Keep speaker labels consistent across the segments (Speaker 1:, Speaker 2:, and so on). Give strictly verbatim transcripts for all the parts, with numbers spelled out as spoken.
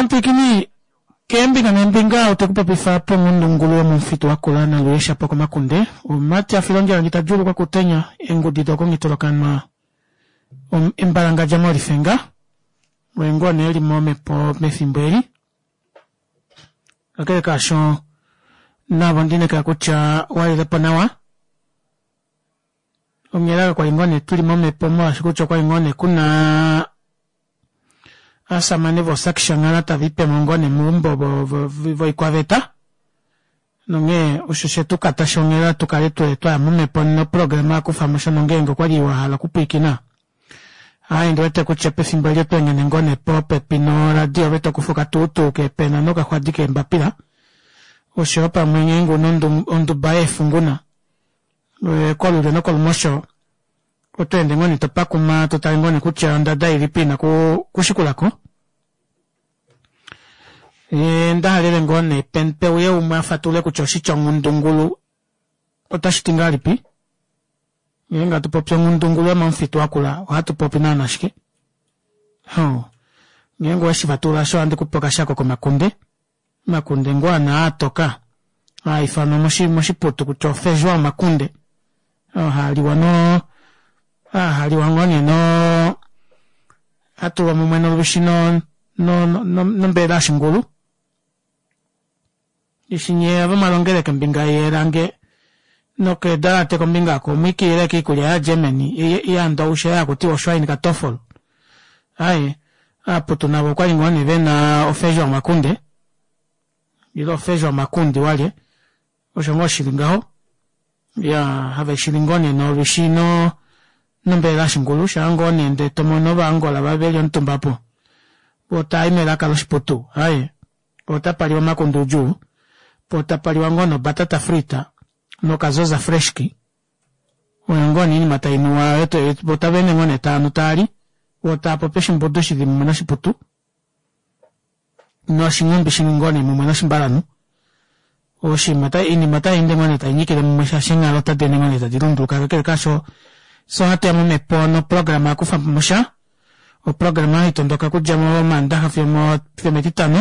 Speaker 1: Omupwiikini keembinga neembinga otekupopifa pongundungulu yomufitu wakula naluye shapo komakunde omumati afila ondjala ngitadjuulukwa kuutenya eengudi dokongitolokanwa embalangadja molifenga oye ngoo nee eli momhepo mefimbo eli kakele kaasho navo ondiinekela kutya owalilepo nawa onghela kakwali ngoo nee tuli momhepo molwaashi kutya okwali ngoo nee kuna ovashamane voo Shanghala tavipemo ngoo nee meumbo voikwaveta nonghee osho shetukata shonghela tukale twaya momhepo noprograma yakufamosha nongenge okwali wahala okupwiikina aaye ondiwete kutya pefimbo eli otweenghene ngoo nee popepi noradio ove tokufa okatuutuu keepena nokaxwadi keembapila oshoyo pamwe ngeenge una onduba yeefunguna kolulyo nokolumosho otweende ngoo nee topakuma totale ngoo nee kutya ondada ilipi ina kushikulako ndahalele ngoo nee peuye umwe afatulule kutya oshitya onghundungulu otashiti ngahelipi ngeenge hatupopi onghundungulu yomomufitu wakula ohatupopi naana shike ngeenge oweshifatulula aasho ohandi kupe okashako komakunde omakunde ngoo ana atoka haifanwa moshiputu kutya ofejoa omakunde oo haaliwa noo haliwa ngoo nee noo hatulwa mumwe nolwishi no nombelela yoshingulu eshi nyee ava mwalongele kombinga yeelange nokeedalate kombinga aako omwiikilila ashike oikulya ya germany yandowishi ei hakutiwa oschweinkatoffel aaye aaputu navo okwali ngoo nee vena ofejoa omakunde ile ofejoa omakundi walye osho ngoo shili ngaho iyaa haveshili ngoo nee nolwishi nombelela yoshingulu shaa ngoo nee ndee tomono ova angola veli omutumba aapo voo taayi melaka loshiputu aaye poo otapaliwa omakunde oudjuu poo tapaliwa ngoo nobatata frita nokazoza freshki oyo ngoo nee oinima tainuwa voo otaveende ngoo nee taanu taali voo taapopi oshimbudu shili mumwe noshiputu noshinghumbi shili ngoo nee mumwe noshimbalanhu oshinima oinima otayeende ngoo nee tainyikile mumwe shaashi eenghalo ota deende ngoo nee tadi lunduluka kakele kaasho fyee ohatuya momhepo noprograma yakufamosha oprograma haitondoka okudja momandaxa fiyo ometitano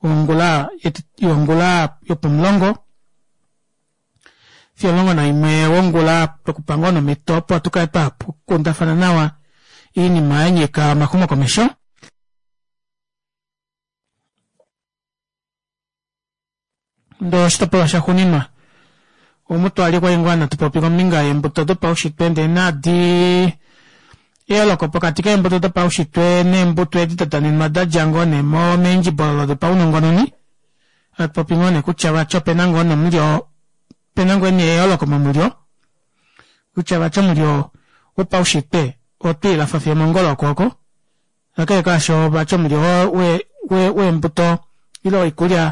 Speaker 1: ongula yongula yopomulongo fiyo omulongo naimwe wongula twekupa ngoo nee omito opo tukale twakundafana nawa oinima yanyika omaxumokomesho ndee oshitopolwa shaxuuninwa omu twali kwali ngoo hatupopi kombinga yeembuto dopaushitwe ndee nadi eyooloko pokati keembuto dopaushitwe neembuto edi dadanenwa dadja ngoo nee meendjibololo dopaunongononi hatupopi ngoo nee kutya vati opena ngoo nee omulyo opena ngoo nee eyooloko momulyo kutya vati omulyo wopaushitwe otwiilafa fiyo omongolo yokwooko kakele kaasho vati omulyo weembuto ile woikulya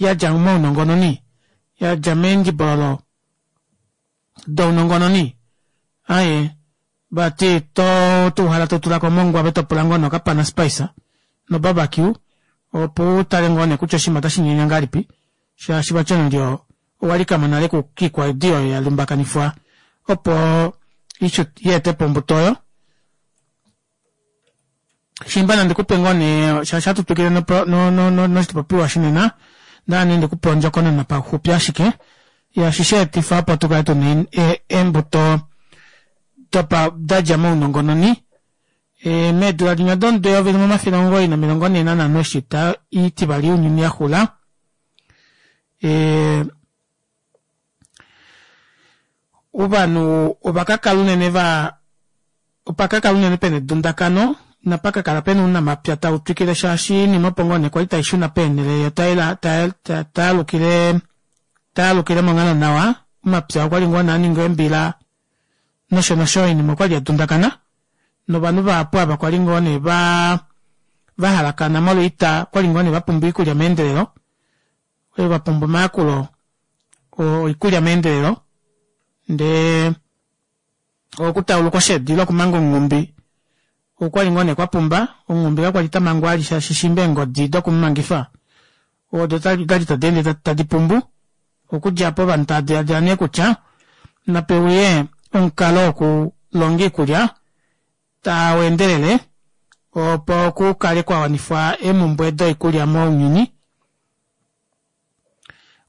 Speaker 1: yadja mounongononi yadja meendjibololo dounongononi aaye vati otuuhala totulako omongwa ove topula ngoo nee okapana spice no barbeque opo utale ngoo nee kutya oshinima ota shinyanya ngahelipi shaashi vati omulyo owalikamo nale kiikwaidi oyo yalumbakanifwa opo yeetepo ombuto oyo shiimba nandikupe ngoo nee shaashi ohatu twikile noshipopiwa shinena ondahala nee ndikupe ondjokonona pauxupi ashike yaashi shaetifa opo tukale tuna eembuto dadja mounongononi meedula dinya domudo eyovi limwe omafele omugoyi nomilongo nhee nanhano eshi oita itivali younyuni yaxula ovanhu ovakakala unene vaa opakakala unene pena edundakano inapakakala pena ounamapya tautwikile shaashi oinima opo ngoo nee kwali taishuna peenele yoo tayaalukile tayaalukile monghalo nawa omapya okwali ngoo nee aninga eembila nosho nosho oinima okwali yadundakana novanhu vahapu ava kwali ngoo nee vaa vahalakana molwa oita okwali ngoo nee vapumbwa oikulya meendelelo okwali vapumbwa omayakulo oikulya meendelelo ndee okutauluka oshedi ile okumanga omunghumbi okwali ngoo nee kwapumba omunghumbi kakwali tamangwa vali shaashi shiimba eengodi dokumumangifa odo odali tadeende tadi pumbu okudja aapo ovanhu tava dilaadila nee kutya napeuye omukalo wokulonga oikulya taweendelele Opo kukale kwawanifwa eemumbwe doikulya mounyuni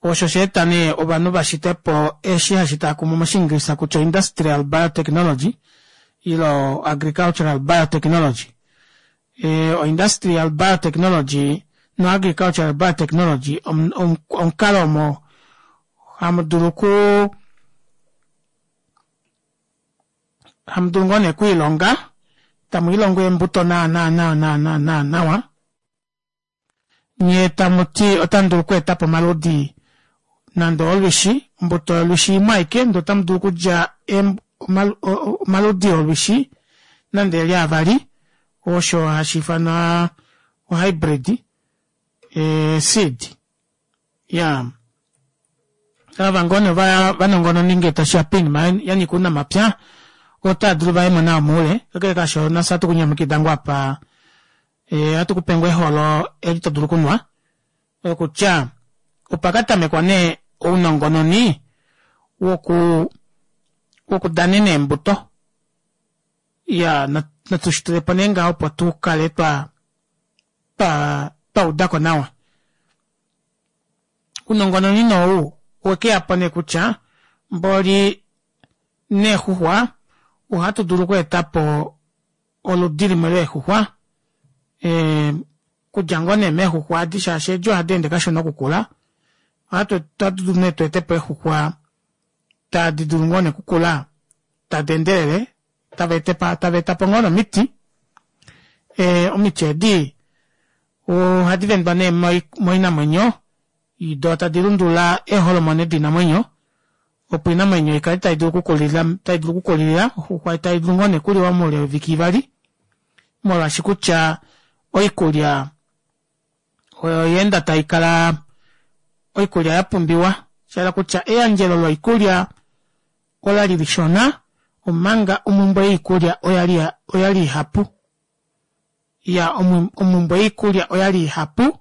Speaker 1: osho shaeta nee ovanhu vashitepo eshi hashi taakumwa moshiingilisa kutya industrial biotechnology ile agricultural biotechnology. O industrial biotechnology no agricultural biotechnology omukalo omo hamudulu okuu hamudulu ngoo nee okwiilonga tamwiilongo eembuto nawa nawa nawa nawa nawa nyee tamuti otamudulu okweetapo omaludi nande olwishi ombuto yolwishi imwe aike ndee otamudulu okudja omaludi olwishi nande okuli avali osho hashiifanwa o hybrid seed. Iyaa ava ngoo nee ovanongononi ngee tashiya poinima yanyika ounamapya otaadulu vayemo nawa moule kakele kaasho nafye ohatu kunyamukida ngoo apa ohatukupe ngoo eholo eli todulu okunwa okutya opakatamekwa nee ounongononi woku wokudanena eembuto iyaa natushitulepo nee ngaho opo tukale twaa twaudako nawa. Ounongononi nee ou owekeyapo nee kutya mboli neexuxwa ohatu dulu okweetapo oludi limwe leexuxwa ee okudja ngoo nee meexuxwa aadi shaashi eedi ohadeende kashona okukula ohatudulu nee tweetepo eexuxwa tadi dulu ngoo nee okukula tadeendelele taveetapo ngoo nee omiti ee omiti eedi ohadi vendwa nee moinamwenyo doo tadi lundulula eeholomone doinamwenyo opo oinamwenyo ikale taidulu okukulilila oxuxwa taidulu ngoo nee okuliwa moule weeviki ivali molwaashi kutya oikulya oyaenda taikala oikulya yapumbiwa shahala kutya eyandjelo loikulya olali lishona omanga omumbwe yoikulya oyali ihapu iyaa omumbwe yoikulya oyali ihapu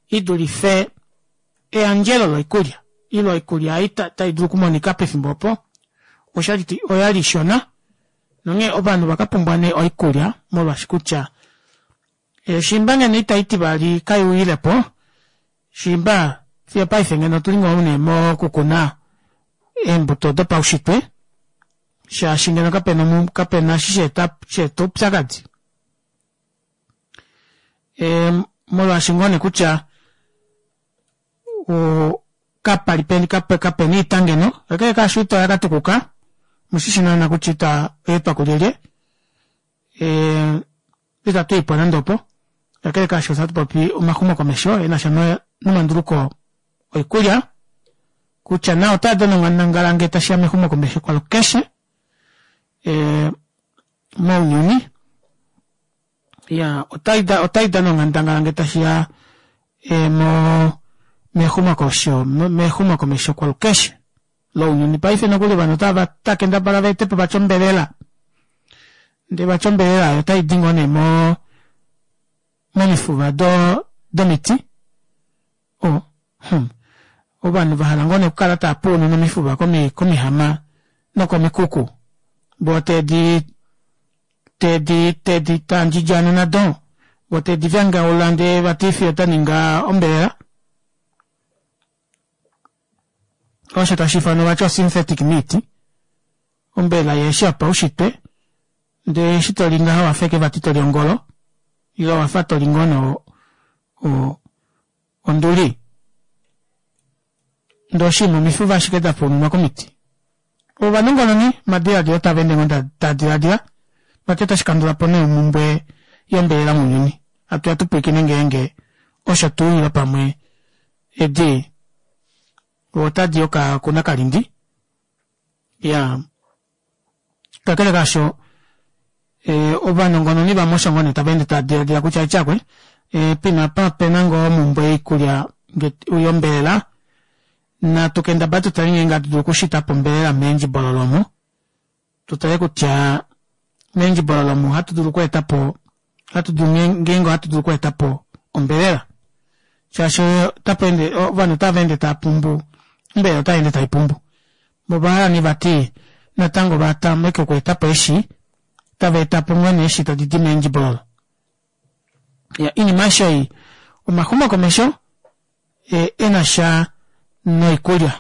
Speaker 1: idulife eyandjelo loikulya ile oikulya ei taidulu okumonika pefimbo opo oyali ishona nonghee ovanhu ovakapumbwa nee oikulya molwaashi kutya shiimba ngeno oita oitivali kaiuyilepo shiimba fiyo opaife ngeno otuli ngoo nee mokukuna eembuto dopaushitwe shaashi ngeno kapena eshi shaeta oupyakadi molwaashi ngoo nee kutya kapali kapena oita ngeno kakele kaasho oita oyakatukuka omushishi naana kutya oita oyaetwa kulyelye ita tuyipo nande opo kakele kaasho ohatupopi omaxumokomesho enasha nomanduluko oikulya kutya nao otaadana onghandangala ngee tashiya mexumokomesho kwalukeshe mounyuni iyaa otaidana onghandangala ngee tashiya mexumokomesho kwalukeshe lounyuni paife nokuli ovanhu otava kendabala vaetepo vati ombelela ndee vati ombelela aayo otaidi ngoo nee moo momifuva domiti oh hmm ovanhu vahala ngoo nee okukala taapuununa omifuva komihama nokomikuku voo tedi tedi tedi tandjidjana nado voo tedi vyangaula ndee vati fiyo daninga ombelela osho tashiifanwa vati o synthetic meat ombelela ihefi yopaushitwe ndee eshi toli ngaha owafa ashike vati toli ongolo ile owafa toli ngoo nee onduli ndee oshinima omifuva ashike dapuununwa komiti ovanongononi omadilaadilo tavaende ngoo taadilaadila vati otashikandulapo nee omumbwe yombelela mounyuni hatuya tupwiikine ngeenge osho tuu ile pamwe edi otadi yoka kunakalindi iyaa kakele kaasho ovanongononi vamwe osho ngoo nee tavaende tavadilaadila kutya tyakwe poima apa opena ngoo omumbwe yoikulya yombelela natu kendabale tutale ngeenge ohatu dulu okushitapo ombelela meendjibololo omu tutale kutya meendjibololo omu ohatu dulu okweetapo ngeenge ohatu dulu okweetapo ombelela shaashi otapeende ovanhu otavaende taapumbu ombelela otayeende taipumbu voo ovahala nee vati natango vatameke okweetapo eeshi tavaetapo ngoo nee eeshi tadidi meendjibololo. Ya inima aishe ei omaxumokomesho enasha noikulya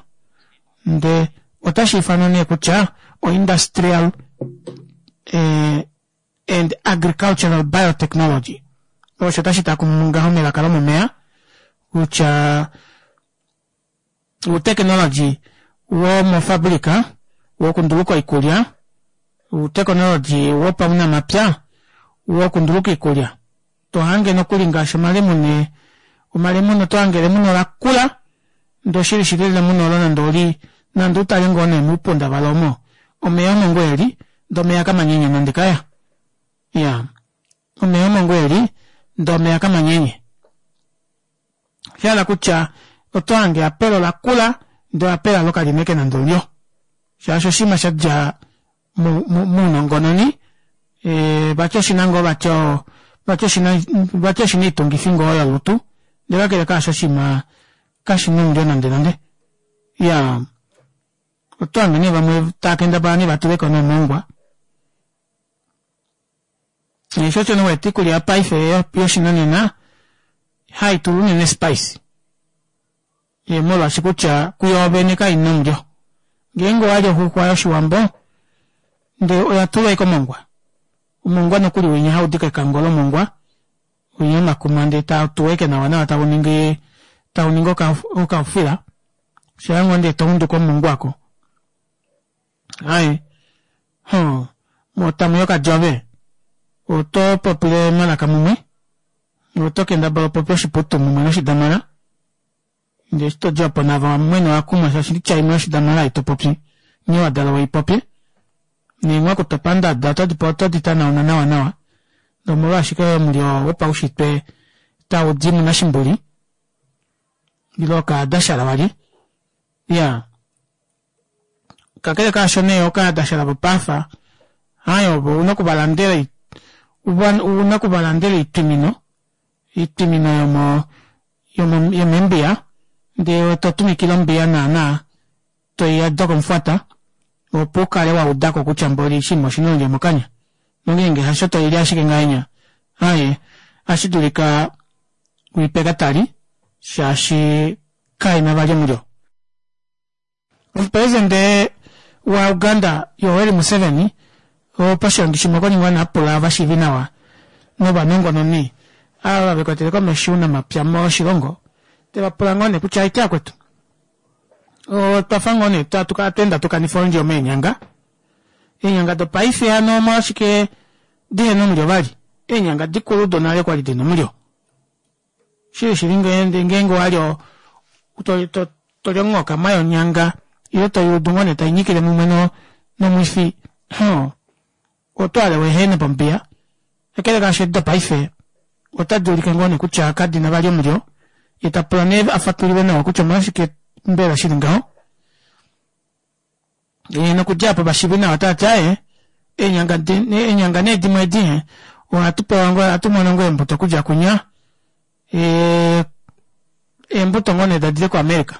Speaker 1: ndee otashiifanwa nee kutya o industrial and agricultural biotechnology osho tashi taakumunwa ngaho melaka lomomeva kutya outekinology womofabrica wokunduluka oikulya outekinology wopaunamapya wokunduluka oikulya tohange nokuli ngaashi omalemune omalemune otohange elemune olakula ndee oshili shili elemune oolo nande oli nande utale ngoo nee moupunda valo omo omeva omo ngoo eli ndee omeva kamanyenye nande kaya iyaa omeva omo ngoo eli ndee omeva kamanyenye oshahala kutya otohange eapela olakula ndee eapela aalo kalina ashike nande omulyo shaashi oshinima shadja mounongononi vati oshina ngoo vati vati oshina oitungifi ngoo yolutu ndee kakele kaasho oshiima kashina omulyo nande nande iyaa otohange nee vamwe taakendabala nee vatuleko nee omongwa shoo osho nee uwete oikulya yopaife yoshinanena haitulwa unene spice molwaashi kutya kuyoovene kaina omulyo ngeenge owali oxuxwa yoshiwambo ndee oyatulwa ashike omongwa omongwa nokuli winya haudi kekango lomongwa winya womakuma ndee tautuwa ashike nawa nawa tauningi tauningi okaufila shaa ngoo nee tounduka omulungu aako aaye hoo moo tamuya okadjove oto popile omalaka mumwe oto kendabala upopye oshiputu mumwe noshidamara ndee eshi todi opo navo mwene ovakumwa shaashi oitya imwe yoshidamara ei topopi nghee wadalwa uipopye neenghwaku topanda otodi tanauna nawa nawa nomolwaasho omulyo wopaushitwe taudi munashimbuli ile okaadashala walye iyaa kakele kaasho nee okaadashala vopaasa aaye ovo ouna okuvalandela ouna okuvalandela oitwimino oitwimino yomo yomeembiya ndee totuvikile ombiya naana toiyadi komufwata opo ukale waudako kutya mboli oshinima oshina omulyo mokanya nongenge hasho toili ashike ngahenya aaye ohashidulika wiipe katali shaashi kaina vali omulyo. Omupresident wa uganda yoweri museveni poshoongi shimwe okwali ngoo nee apula ovashiivinawa novanongononi ava vekwetele komesho ounamapya moshilongo tevapula ngoo nee kutya aite vakwetu otwafa ngoo nee hatweende hatukanifa omulyo meenyanga eenyanga dopaife hano omolwashike dihena omulyo vali eenyanga dikulu donale okwali dina omulyo shili shili ngeenge owali toli onghokama yonyanga ile toyuudu ngoo nee tainyikile mumwe nomwifi hoo otohale weehene pombiya kakele kaasho edi dopaife ota duulike ngoo neekutya kadina vali omulyo yee tapula nee afatululilwe nawa kutya omolwashike mbela shili ngaho nokudja aapo ovashiivinawa otavati aaye eenyanga nee dimwe edi ohatu pewa ohatumono ngoo eembuto okudja kunya eembuto ngoo nee dadile ko america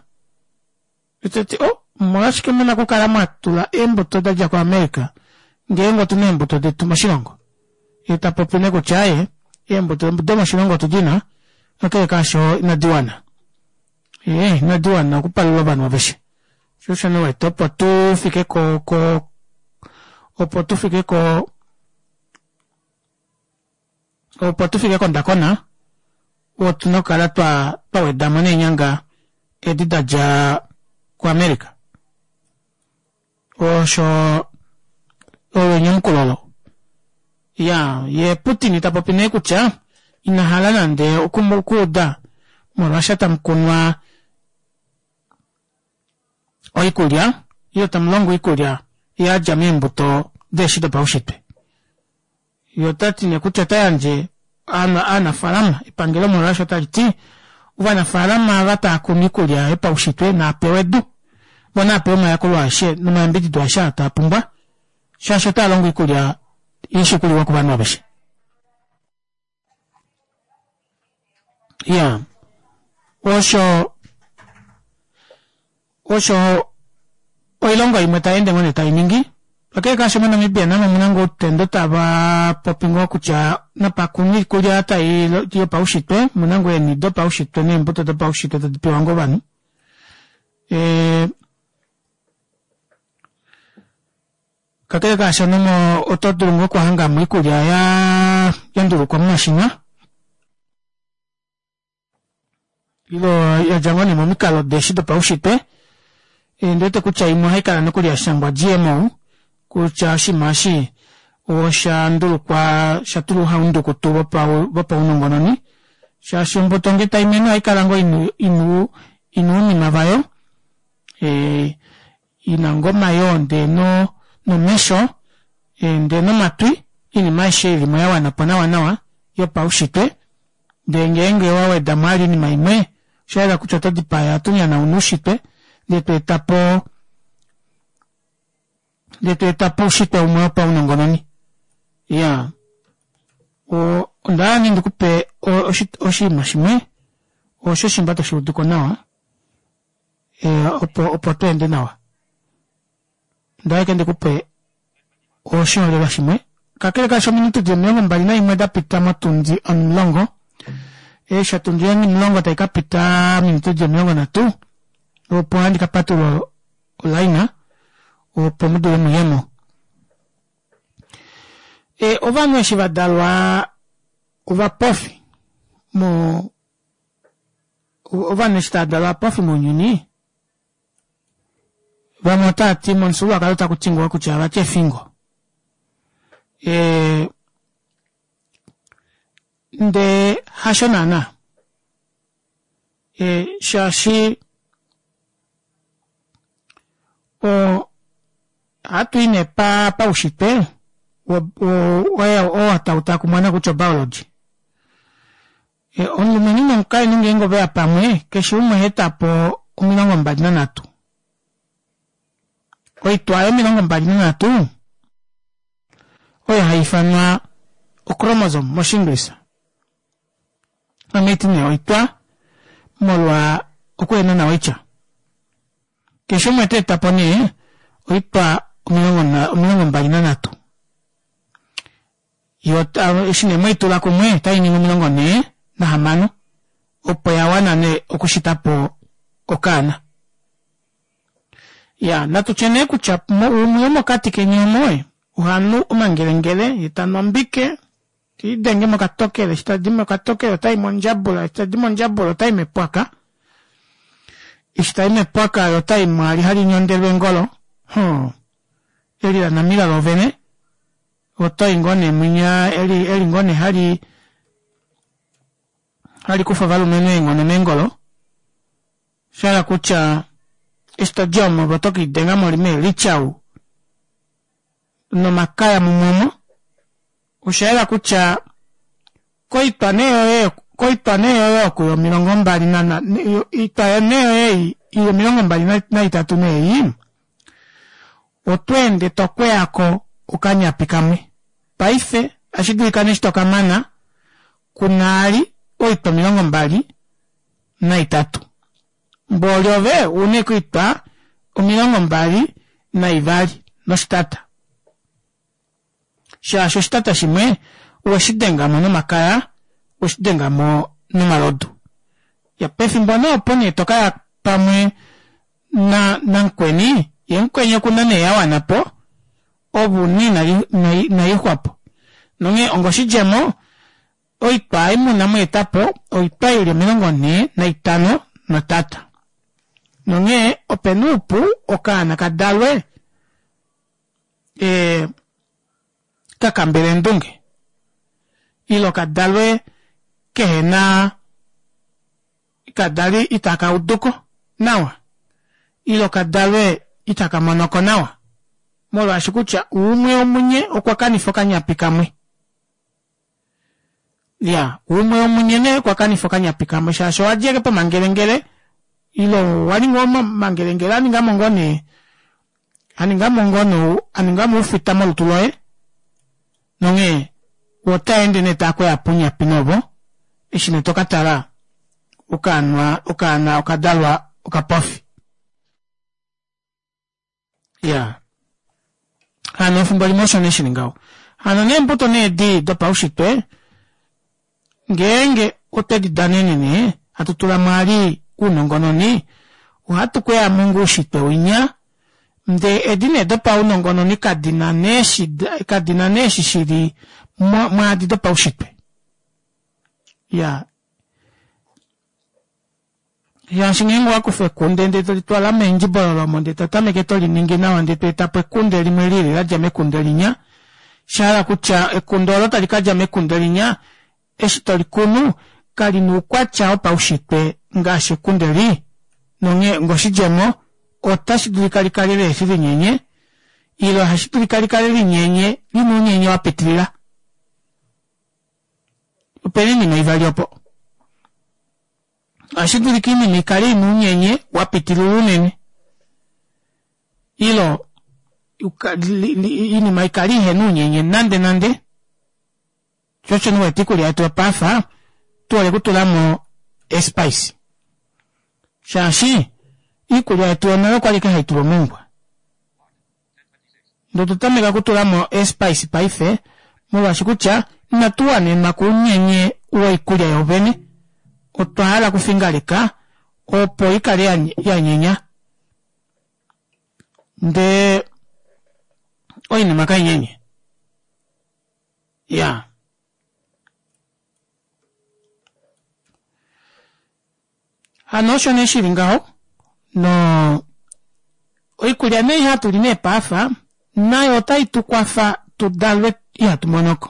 Speaker 1: teti oh omolwashike muna okukala mwatula eembuto dadja ko america ngeenge otuna eembuto detu moshilongo yeetapopi nee kutya aaye eembuto domoshilongo otudina kakele kaasho inadiwana ee inadiwana okupalula ovanhu aveshe shoo osho nee uwete opo tufike ko ko opo tufike ko opo tufike kondakona otuna okukala twawedamo neenyanga edi dadja ku america osho olo enyamukulo olo iyaa yee putin tapopi nee kutya inahala nande okuuda mo russia tamukunwa oikulya ile tamulongwa oikulya yadja meembuto deeshi dopaushitwe yee otati nee kutya otayandje ovanafalama epangelo mo russia otaliti ovanafalama ava taakunu oikulya yopaushitwe naapewe edu voo naapewe omayakulo aeshe nomayambidido aeshe aa taapumbwa shaashi otaalongo oikulya ishi okuliwa kovanhu aveshe iyaa osho osho oilongo imwe tayeende ngoo nee tainingi Kakele kaasho moNamibia namo omuna ngoo outendo tava popi ngoo kutya napakunwe oikulya tai yopaushitwe omuna ngoo eeni dopaushitwe neembuto dopaushitwe tadi pewa ngoo ovanhu. Ee kakele kaashono oto dulu ngoo okuhangamo oikulya yaa yandulukwa momashina ile yadja ngoo nee momikalo deshi dopaushitwe ondiwete kutya imwe ohaikala nokuli yashangwa G M O kutya oshinima eshi oshandulukwa oshatulwa ouhaundukutu vopaunongononi shaashi ombuto ngee taimene ohaikala ngoo ina ina ounima vayo ina ngoo omayoo ndee nomesho ndee nomatwi oinima aishe ilimo yawanapo nawa nawa yopaushitwe ndee ngenge owawedamo vali oinima imwe oshayela kutya oto dipaya oto nyanauna oushitwe ndee tweetapo ndee tweetapo oushitwe umwe wopaunongononi. Iyaa ondahala nee ndikupe oshinima shimwe osho ngoo toshuuduko nawa opo tweende nawa ondahala ashike ndikupe oshiholelwa shimwe kakele kaasho ominute dili omilongo mbali naimwe dapita motundi onimulongo eshi otundi onimulongo taikapita ominute dili omilongo nhatu opo handi kapatulula o line opo mudule muyemo. Ovanhu eshi vadalwa ovapofi moo ovanhu eshi taadalwa ovapofi mounyuni vamwe otaati momufyuululwakalo otakuti ngoo kutya vati efingo. Ee ndee hasho naana shaashi oo ohatui nee paushitwe oo tautakumwa nokutya o biology. Omulumenhu nomukainhu ngeenge oveya pamwe keshe umwe ohaetapo omilongo mbali nanhatu oitwa aayo omilongo mbali nanhatu oyo haifanwa o chromosome moshinglisa ame haiti nee oitwa molwa okuhena nawa oitya keshe umwe oteetapo nee oitwa omilongo mbali nanhatu yoo eshi nee mweitula kumwe otainingi omilongo nhee nahamano opo yawana nee okushitapo okaana. Iyaa natutye nee kutya umwe womokati keni omo ohanu omangelengele yeetanu ombike teliidenge mokatokele eshi tadi mokatokele otayi mondjabula eshi tadi mondjabula otayi mepwaka eshi tayi mepwaka yee otayi mwaali hali nyondelwa eengolo mhoo eli lanamila loovene otoyi ngoo nee mwinya eli ngoo nee hali halikufa ovalumenhu eenghono meengolo oshahala kutya eshi todi omo ove oto kelidenga meelichau nomakaya mumwe omo oshayela kutya koitwa nee yoye koitwa nee yoye oko yomilongo mbali oitwa nee yoye ei ili omilongo mbali naitatu nee ei otweende tokweyako okanyapi kamwe paife ohashidulika nee eshi tokamana kuna vali oitwa omilongo mbali naitatu mboli ove ouna ashike oitwa omilongo mbali naivali noshitata shaashi oshitata shimwe oweshidengamo nomakaya oweshidengamo nomalodu. Iyaa pefimbo nee opo nee tokaya pamwe namukweni yee mukweni okuna nee yawanapo ove una inayiixwapo nonghee onga oshidjemo oitwa ei muna mweetapo oitwa ili omilongo nhee naitano netata nonghee opena oupu okaana kadalwe ee kakambela eendunge ile kadalwe kehena kadalwe itakauduko nawa ile kadalwe itakamonoko nawa molwaashi kutya umwe womunye okwakanifa okanyapi kamwe iyaa umwe womunye nee okwakanifa okanyapi kamwe shaashi owadja ashike pomangelengele ile owaninga omangelengele aningamo ngoo nee aningamo ngoo nee aningamo oufita molutu loye nonghee otaende nee taakweyapo ounyapi nee ovo eshi nee tokatala okaana okaana okadalwa okapofi. Iyaa Hano efimbo limwe osho nee shili ngaho. Hano neembuto nee edi dopaushitwe ngeenge otwedi danene nee hatu tulamo vali ounongononi ohatu kweyamo ngoo oushitwe winya ndee edi nee dopaunongononi kadina nee eshi kadina nee eshi shili mwaadi dopaushitwe. Iyaa shaashi ngeenge owakufa ekunde ndee tolitwala meendjibololo omo ndee totameke toliningi nawa ndee tweetapo ekunde limwe lilile ladja mekunde linya oshahala kutya ekunde oolo tali kadja mekunde linya eshi tolikunu kalina oukwatya wopaushitwe ngaashi ekunde eli nonghee onga oshidjemo ota shidulika likale lihefi linyenye ile ohashidulika likale linyenye lina ounyenye wapitilila. Opena oinima ivali opo ohashidulika oinima ikale ina ounyenye wapitilila unene ile oinima ikale ihena ounyenye nande nande shoo osho nee uwete oikulya yetu yopaife tuhole okutulamo ee spice shaashi oikulya yetu yonale okwali ashike haitulwa omongwa ndee otwa tameka okutulamo ee spice paife molwaashi kutya ina tuwanenwa kounyenye woikulya yoovene otwa hala okufingaleka opo ikale yanyenya ndee oinima kainyenye iyaa hano osho nee shili ngaho noo oikulya nee ei hatuli nee paife nayo ota itukwafa tudalwe ihatumonoko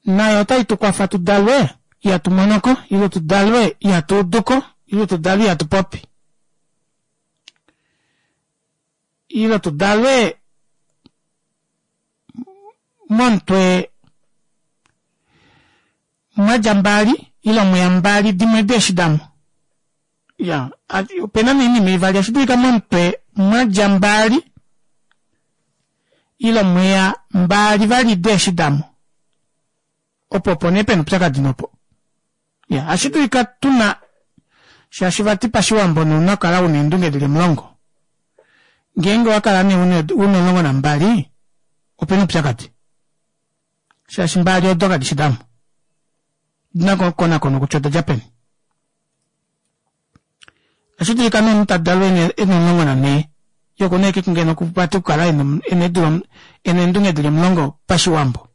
Speaker 1: nayo ota itukwafa tudalwe ihatumonoko ile tudalwe ihatuuduko ile tudalwe ihatupopi ile tudalwe momutwe mwadja mbali ile mweya mbali dimwe deshi damo iyaa opena nee oinima ivali ashidulika momutwe mwadja mbali ile mweya mbali vali deeshi damo opo opo nee pena oupyakadi nee opo iyaa ohashidulika tuna shaashi vati pashiwambo omunhu ouna okukala una eendunge dili omulongo ngeenge owakala nee una omulongo nambali opena oupyakadi shaashi mbali odo kadishi damo odina okukonakonwa kutya odadja peni. Ohashidulika nee omunhu tadalwa ena omulongo nanhee yee okuna ashike ngeno vati okukala ena eedula ena eendunge dili omulongo pashiwambo.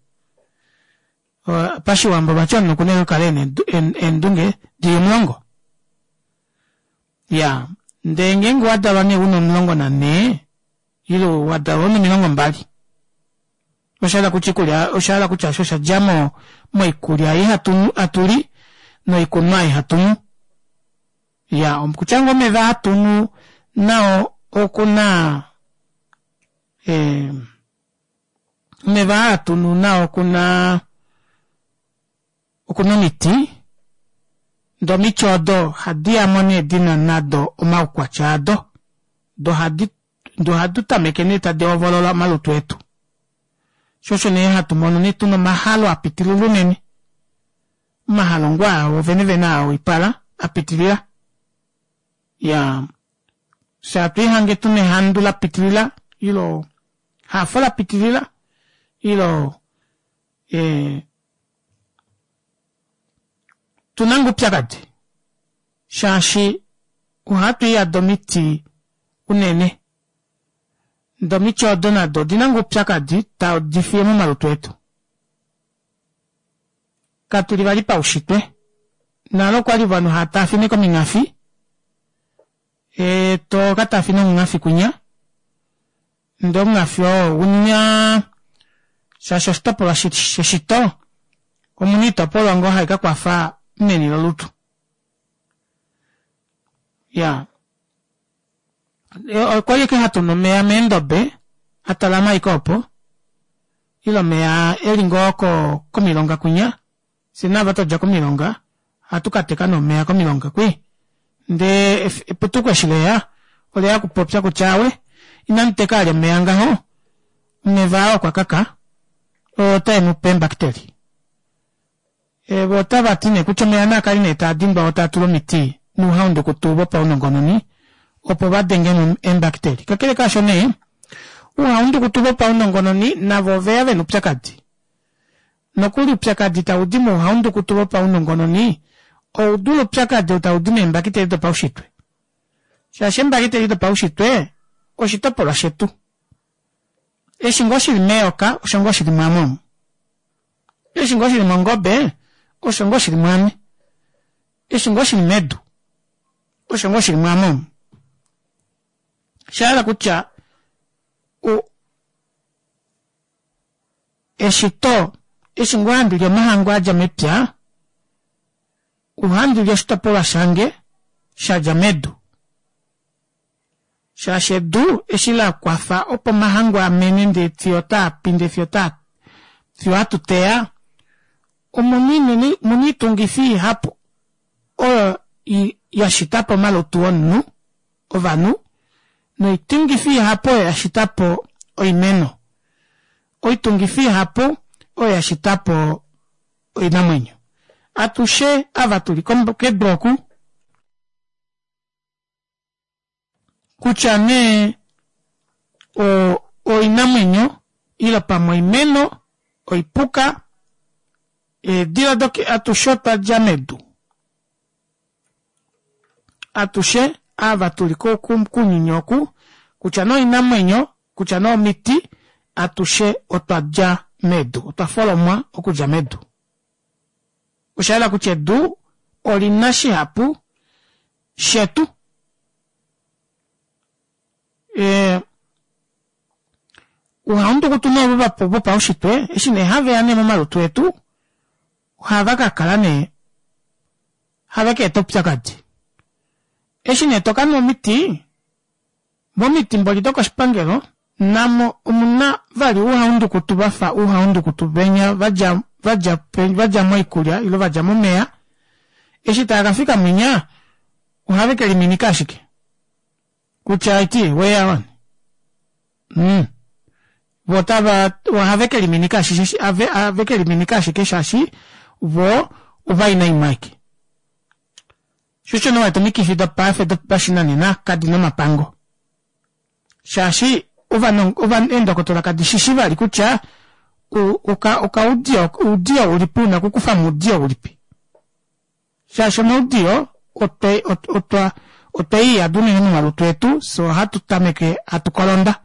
Speaker 1: Pashiwambo vati omunhu okuna ashike okukala ena eendunge dili omulongo. Iyaa ndee ngeenge owadalwa nee una omulongo nanhee ile wadalwa una omilongo mbali oshahala kutya oikulya oshahala kutya aasho oshadja moikulya ei hatuli noikunwa ei hatunu. Iyaa okutya ngoo omeva ahatunu nao okuna ee omeva aa hatunu nao okunaa okuna omiti ndee omiti odo ohadiyamo nee dina nado omaukwatya ado doo ohadi doo ohadi tameke nee tadi hovolola omalutu etu shoo osho nee hatumono nee tuna omahalo apitilila unene omahalo ngoo aa oovene vene aa woipala apitilila iyaa fyee hatwiihange tuna ehandu lapitilila ile ehafo lapitilila ile ee otuna ngoo oupyakadi shaashi ohatwiiyada omiti unene ndee omiti odo nado odina ngoo oupyakadi tadifiye momalutu etu. Katuli vali paushitwe nale okwali ovanhu hava taafine komingafi ee tokataafina omungafi kwinya ndee omungafi oo ounaa shaashi oshitopolwa sheshito omuna oitopolwa ngoo haikakwafa meni lolutu. Iyaa okwali ashike hatunu omeva meendobe atalama ashike opo ile omeva eli ngoo komilonga kwinya fyee naava twadja komilonga ohatu kateka nee omeva komilonga kwii ndee eputuko eshi leya oleya okupopya kutya aawe ina muteka vali omeva ngaho omeva aa okwakaka otaemupe eembakiteli voo otavati nee kutya omeva naakale nee taadindwa oo taatulwa omiti nouhaundukutu vopaunongononi opo vadengemo eembakiteli. Kakele kaasho nee ouhaundukutu vopaunongononi navo oveya vena oupyakadi. Nokuli oupyakadi taudi mouhaundukutu vopaunongononi oudule oupyakadi ou taudi meembakiteli dopaushitwe. Shaashi eembakiteli dopaushitwe oshitopolwa shetu. Eshi ngoo shili meyoka osho ngoo shili mwaame omu. Eshi ngoo shili mongobe osho ngoo shili mwaame. Eshi ngoo shili medu osho ngoo shili mwaame omu. Oshahala kutya eshito eshi ngoo handili omahangu adja mepya ohandili oshitopolwa shange shadja medu. Shaashi edu eshi lakwafa opo omahangu amene ndee fiyo otaapi ndee fiyo otaa fiyo ohatuteya omuna omuna oitungifi ihapu oyo yashitapo omalutu omunhu ovanhu noitungifi ihapu oyo yashitapo oimeno. Oitungifi ihapu oyo yashitapo oinamwenyo. Atushe ava tuli kedu oku kutya nee oinamwenyo ile pamwe oimeno, oipuka, eedila atushe otwadja medu. Atushe ava tuli kounyuni oku kutya nee oinamwenyo kutya nee omiti atushe otwadja medu otwa folomwa okudja medu. Oshayela kutya edu olina shihapu shetu. Ee ouhaundukutu nee vopaushitwe eshi nee haveya nee momalutu etu ohava kakala nee have kaeta oupyakadi. Eshi nee tokanwa omiti momiti mboli dokoshipangelo namo omuna vali ouhaundukutu vafa ouhaundukutu venya vadja vadja vadja moikulya ile vadja momeva eshi taakafika mwinya ohave keliminika ashike kutya aiti weya wani mm. Voo otava ohave keliminika ashike have keliminika ashike shaashi voo ovaina imwe aike. Sho osho nee uwete omikifi dopaife dopashinanena kadina omapango. Shaashi eendokotola kadishishi vali kutya okaudiyo oudiyo ulipi una okukufamo oudiyo ulipi. Shaashi omaudiyo otwa otweiyada unene momalutu etu fyee ohatu tameke hatu kolonda.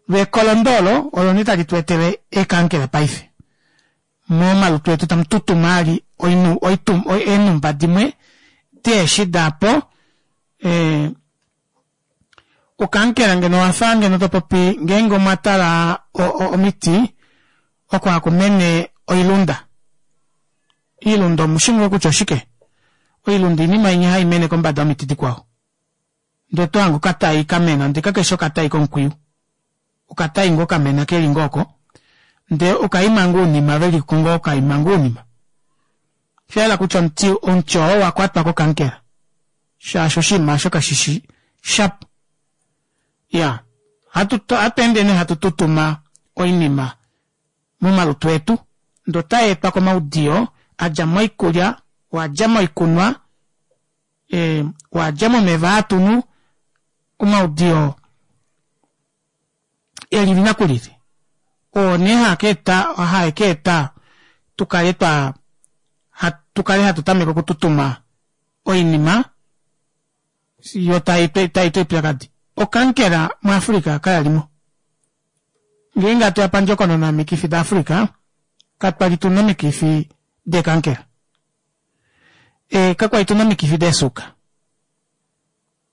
Speaker 1: Loo ekolondo olo olo nee tali tweetele eekankela paife. Momalutu etu tamututuma vali eenhumba dimwe diheshi daapo. Ee okankela ngeno owafa ngeno topopi ngeenge omwatala omiti oko hakumene oilunda. Oilunda omushi ngoo kutya oshike? Oilunda oinima inya haimene kombada yomiti dikwao. Ndee otohange okatai kamena ndee kakefi okatai komukwiyu. Okatai ngoo kamena keli ngoo oko ndee okaima ngoo ounima veliko ngoo kaima ngoo ounima. Oshayela kutya omuti omuti oo owakwatwa kokankela shaashi oshinima aasho kashishi shapo. Iyaa ohatweende nee hatu tutuma oinima momalutu etu ndee otayeetwa komaudiyo adja moikulya, oadja moikunwa, oadja momeva aa hatunu, omaudiyo elili nakulili oo nee haakeeta haekeeta tukale twaa tukale hatu tameke okututuma oinima yoo tayeeta oupyakadi. Okankela mu africa kayalimo. Ngeenge hatuya pandjokonona yomikifi da africa katwali tuna omikifi deekankela. Ee kakwali tuna omikifi deesuuka.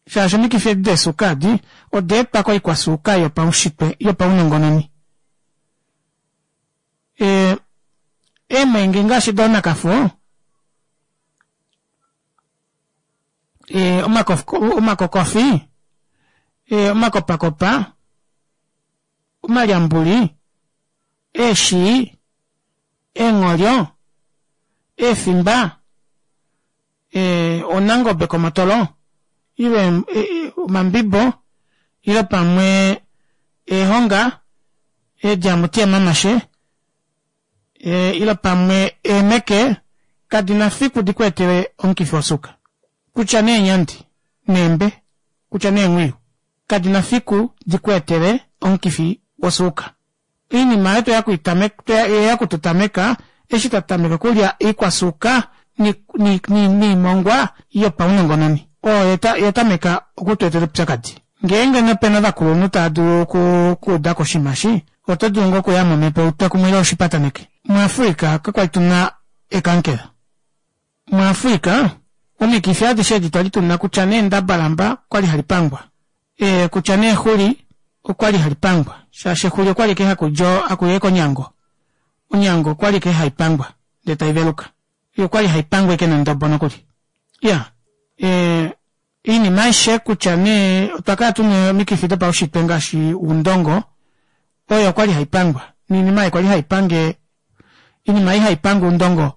Speaker 1: Shaashi omikifi edi deesuuka edi odaetwa koikwasuuka yopaushitwe yopaunongononi. Ee eemwenge ngaashi doonakafo ee omakokofi, omakopakopa, omalyambuli, eeshii, eengholyo, eefimba, oonangobe komotolo ile omambibo ile pamwe eehonga, eedjamuti yamamashe ile pamwe eemeke kadina fiku dikweetele omukifi wosuuka. Kutya nee eenyandi Neembe kutya nee eenghwiyu kadina fiku dikweetele omukifi wosuuka. Oinima aayo tweya okututameka eshi twatameka okulya oikwasuuka noimongwa yopaunongononi oyo yatameka okutweetela oupyakadi. Ngeenge nee opena ovakulunhu taadulu okuudako oshinima eshi oto dulu ngoo okuya momepo utwekumwe ile ushipataneke. Mu africa kakwali tuna ekankela, mu africa omikifi adishe edi twali tuna kutya nee endabalamba okwali halipangwa ee kutya nee exuli okwali halipangwa shaashi exuli okwali ashike hakuyi ashike onyango, onyango okwali ashike haipangwa ndee taiveluka yoo okwali haipangwa ashike nondobo nokuli. Iyaa ee oinima aishe kutya nee otwa kala tuna omikifi dopaushitwe ngaashi oundongo oyo okwali haipangwa noinima ei kwali haipange oinima ei haipange oundongo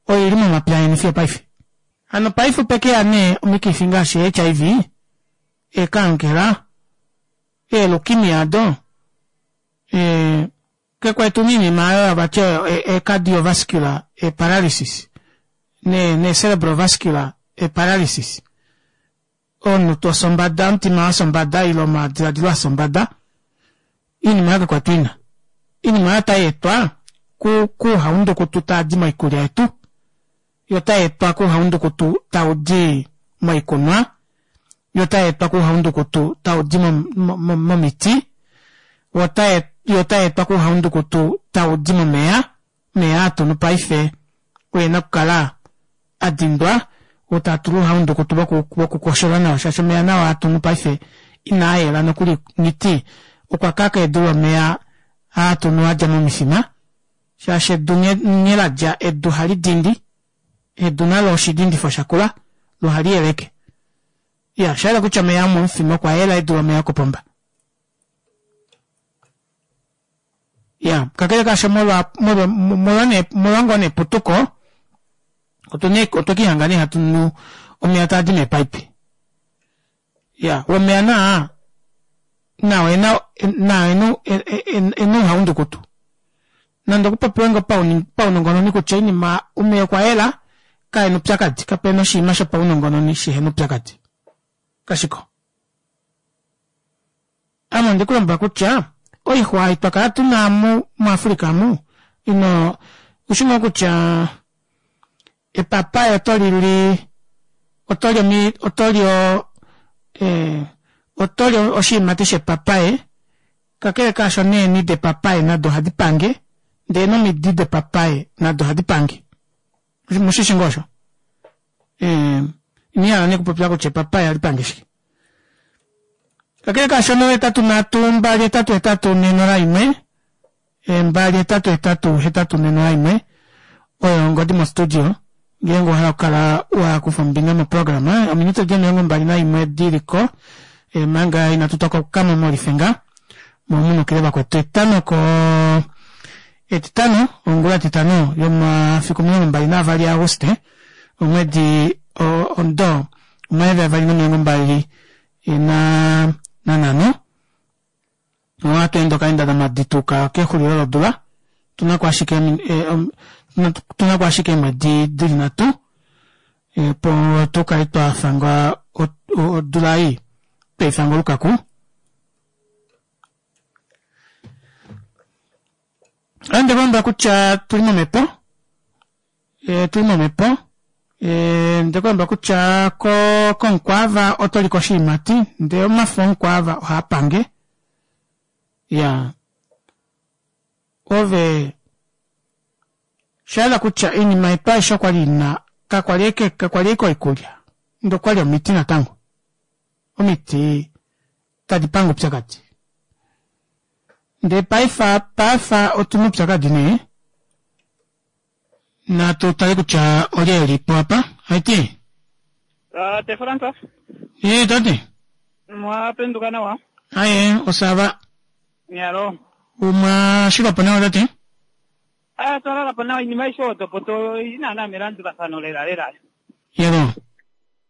Speaker 1: oili momapya eni fiyo opaife. Hano paife opekeya nee omikifi ngaashi ee H I V, eekankela, eelukimia aado ee fyee kwali tuna oinima aayo vati oyo cardiovascular paralysis nee celebrovascular paralysis omunhu tofye ombada omutima wafya ombada ile omadilaadilo afya ombada oinima aayo kakwali tuina. Oinima aayo ota yeetwa kouhaundukutu taadi moikulya yetu yoo otayeetwa kouhaundukutu taudi moikunwa yoo otayeetwa kouhaundukutu taudi momiti yoo otayeetwa kouhaundukutu taudi momeva, omeva aa hatunu paife okuna okukala adindwa oo taatulwa ouhaundukutu voku koshola nawa shaashi omeva nao haatunu paife inaayela nokuli nghiti okwakaka edule omeva aatunu adja momifima shaashi edu nghee ladja edu ohali dindi edu nalo oshidindifo shakula loo ohali yeleke. Iyaa oshayela kutya omeva omomufima okwayela edule omeva okopomba. Iyaa kakele kaasho molwa molwa nee molwa ngoo nee eputuko otwekihanga nee hatunu omeva taadi meepipe. Iyaa woo omeva naa nao ena nao ena ouhaundukutu nande okupopiwe ngoo paunongononi kutya oinima omeva okwayela kaena oupyakadi kapena oshinima shopaunongononi shihena oupyakadi kashiko. Ame ondekulombwela kutya oixwa ei twakala tuna omu mu africa omu ino oushi ngoo kutya epapaye otolili otoli otoli otoli oshiimati shepapaye kakele kaasho neeni depapaye nado ohadi pange ndee nomidi depapaye nado ohadi pange omushishi ngoo osho ina ndihala nee okupopya kutya epapaye ohali pange shike. Kakele kaasho ohetatu nhatu mbali hetatu hetatu nhee nola imwe mbali hetatu hetatu hetatu nhee nola imwe oyo ongodi mo studio ngeenge owahala okukala wakufa ombinga moprograma. Ominute odi omilongo mbali naimwe diliko omanga ina tutokokamo molifenga moo munukile vakwetu. Etameko etitano ongula yetitano yomafiku omilongo mbali na avali a auguste omwedi omudo omayovi avali nomilongo mbali naa nanhano ohatweende okaenda kamadi twayuka kexulilo lodula otunako ashike otunako ashike eemwedi dili nhatu opo tukale twafanga odula ei tweifanga olukaku. Ohandi kulombwela kutya otuli momepo otuli momepo ondekulombwela kutya koo komukwaava otolika oshiimati ndee omafo omukwaava ohaapange iyaa ove oshayela kutya oinima yetu aishe okwali ina kakwali ashike kakwali ashike oikulya ndee okwali omiti natango omiti tadi pange oupyakadi ndee paife paife otuna oupyakadi nee natu tale kutya olye elipo apa haiti.
Speaker 2: Tate Fransa.
Speaker 1: Ee tate.
Speaker 2: Mwapenduka nawa?
Speaker 1: Aye osava.
Speaker 2: Nyalo.
Speaker 1: Umwa shilapo nawa tate?
Speaker 2: Ah, twalalapo nawa iinima aishe oyo topoto oili naana melandulafano lela lela.
Speaker 1: Yebo.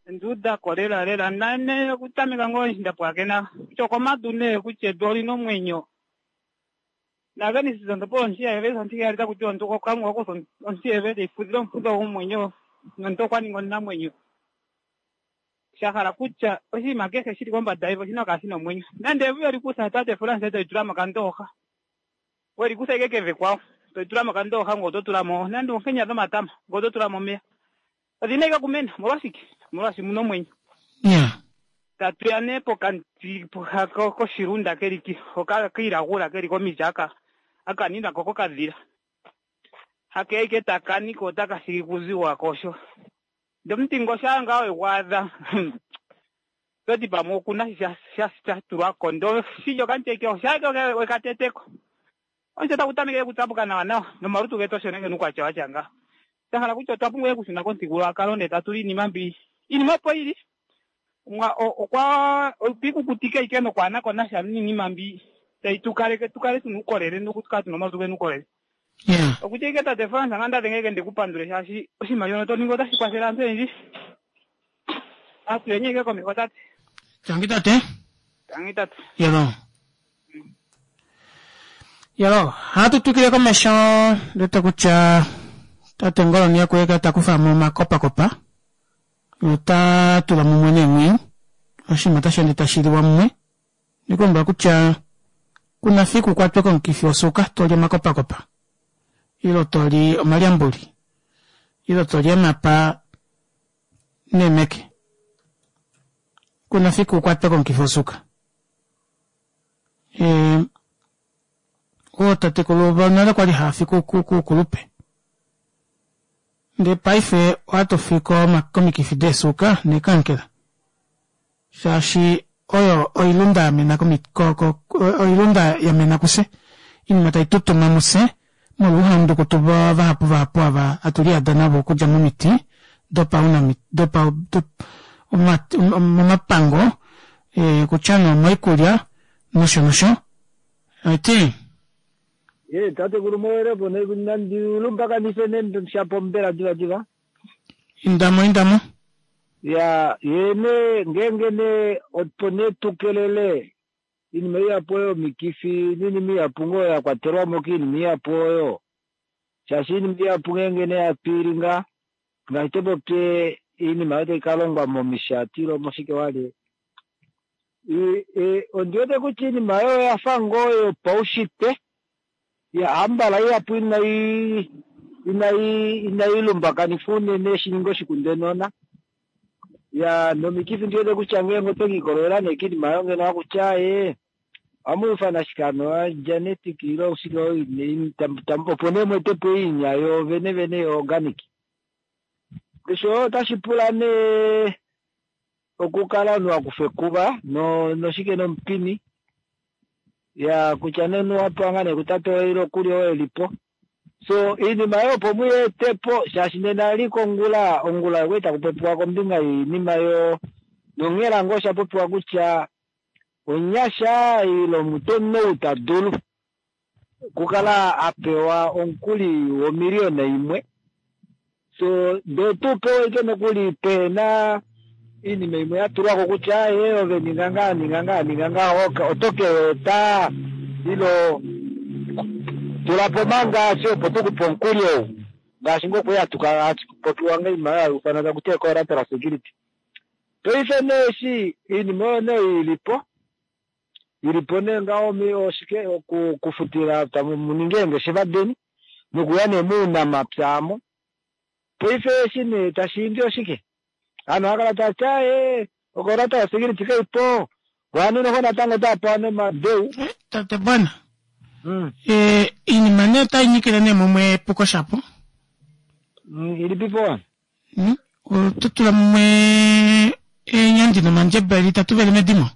Speaker 2: Nduudako lela lela nane okutameka ngoo eshi ndapwakena kutya okomadu nee kutya edu olina omwenyo. NaGenesis ontopo ontiheveyi ontiheyali taku tiwa omuntu Kalunga okwa kutha ontiheveyi teyi fudhile omufudho gomwenyo nomuntu okwa ningi omunamwenyo. Sha hala kutya oshinima kehe shili kombada yevi oshina okukala shina omwenyo. Nande evi weli kutha tate France toli tula mokandooxa, weli kutha ike keve kwawo toli tula mokandooxa ngoye oto tula mo nande oonkenya dhomatama ngoye oto tula mo omeya, odhina ike okumena. Omolwashike? Omolwaashi muna omwenyo.
Speaker 1: Yeah.
Speaker 2: Tatu ya nee pokati koshilunda keli hoka kiilagula keli komiti aka akaninwa ko kokadhila hakeya ike takani ko otaka thigi kuziwa kosho. Ndee omuti ngo shaa ngaa wegwaadha toti pamwe okuna sha sha tulwako ndee oshilyo okamuti eke oshaa ike wekateteko omuti otagu tameke okutsapuka nawa nawa nomalutu getu osho nee gena uukwatya watya nga. Sha hala kutya otwa pumbwa okushuna komuthigululwakalo ndee tatu li iinima mbi iinima opo yili okwa otwiikukutike ike nokwaanako nasha niinima mbi tayi tukaleke tukale tuna uukolele nokukala tuna omalutu gena uukolele.
Speaker 1: Yeah.
Speaker 2: Okutya ike tate France nga nda dhenge ike ndikupandule shaashi oshinima shono to ningi otashi kwathele aantu oyendji. Atuyeni ike komeho tate.
Speaker 1: Tangi tate.
Speaker 2: Tangi tate.
Speaker 1: Yelo. Yelo, ohatu twikile komesho ndete kutya tate Ngoloni okuyeka ta kufa mo omakopakopa nota tula mumwe neemwiyu oshinima otashi ende tashi liwa mumwe. Ndikulombwela kutya kuna fiku ukwatwe komukifi wosuuka toli omakopakopa ile toli omalyambuli ile toli emapa neemeke, kuna fiku ukwatwe komukifi wosuuka. Ee ootatekulu vonale kwali haafi koukulupe ndee paife ohatu fi komikifi deesuuka neekankela shaashi oyo oilunda yamena oilunda yamena kufye oinima taitutuma mufye molwa ouhandukutu vahapu vahapu ava hatu liyada navo okudja momiti dopaunamiti dopa momapango kutya nee omoikulya nosho nosho aiti
Speaker 3: Ye tatekulu mowelepo nandi lumbakanife ne shapo mbela diva diva.
Speaker 1: Indamo indamo.
Speaker 3: Ya yene ngenge ne opo ne tukelele iinima ihapu oyo mikifi niinima ihapu ngoo ya kwatelwamo kiinima ihapu oyo. Shaashi iinima ihapu ngenge ne yapilinga ngaashi topopye iinima oyo tayi kalongwa momishati ilo moshike wali. Ondiwete kutya iinima oyo oyafa ngoo yopaushitwe. Ya ambala ihapu inayi inayi inayi lumbakanifwa unene shininge oshikundenona. Ya nomikifi ndiwete kutya ngenge otwekiikololela nee kiinima oyo ngeno hakutya ee ohamuufana shike genetic ilo shike opo nee mweetepo iinya yo vene vene yo organic. Osho otashi pula nee okukala omunhu wakufa ekuva no noshike nomupini ya kutya nee omunhu wapewa ngaa nee kutate woye ile okuli oo elipo. So iinima oyo opo muyeetepo shaashi nena liko ongula ongula okwali taku popiwa kombinga yoinima yo nonghela ngoo osha popiwa kutya omunyasha ile omunhu ou ta dulu okukala apewa omukuli womiliyona imwe. So ndee tupewe ike nokuli pehena iinima imwe yatulwako kutya ye ove ninga ngaa ninga ngaa ninga ngaa oto keeta ilo tulapo manga fye opo tukupe omukuli ou ngaashi ngoo kwali hatupopiwa ngoinima oyo hayuufanwa takuti collateral security. Paife nee eshi iinima oyo nee ilipo ilipo nee ngaho oshike okufutila tamu eengeshefa deni nokuya nee muunamapya aamo. Paife eshi nee tashiimbi oshike ovanhu ohakala tavati aaye ocollateral security kaipo ovanhu noho natango otavapewa nomadeu.
Speaker 1: Tate bwana iinima nee otai nyikile nee mumwe epuko shapo.
Speaker 3: Ilipipo?
Speaker 1: Oto tula mumwe eenyandi nomandjebele itatu veli medimo.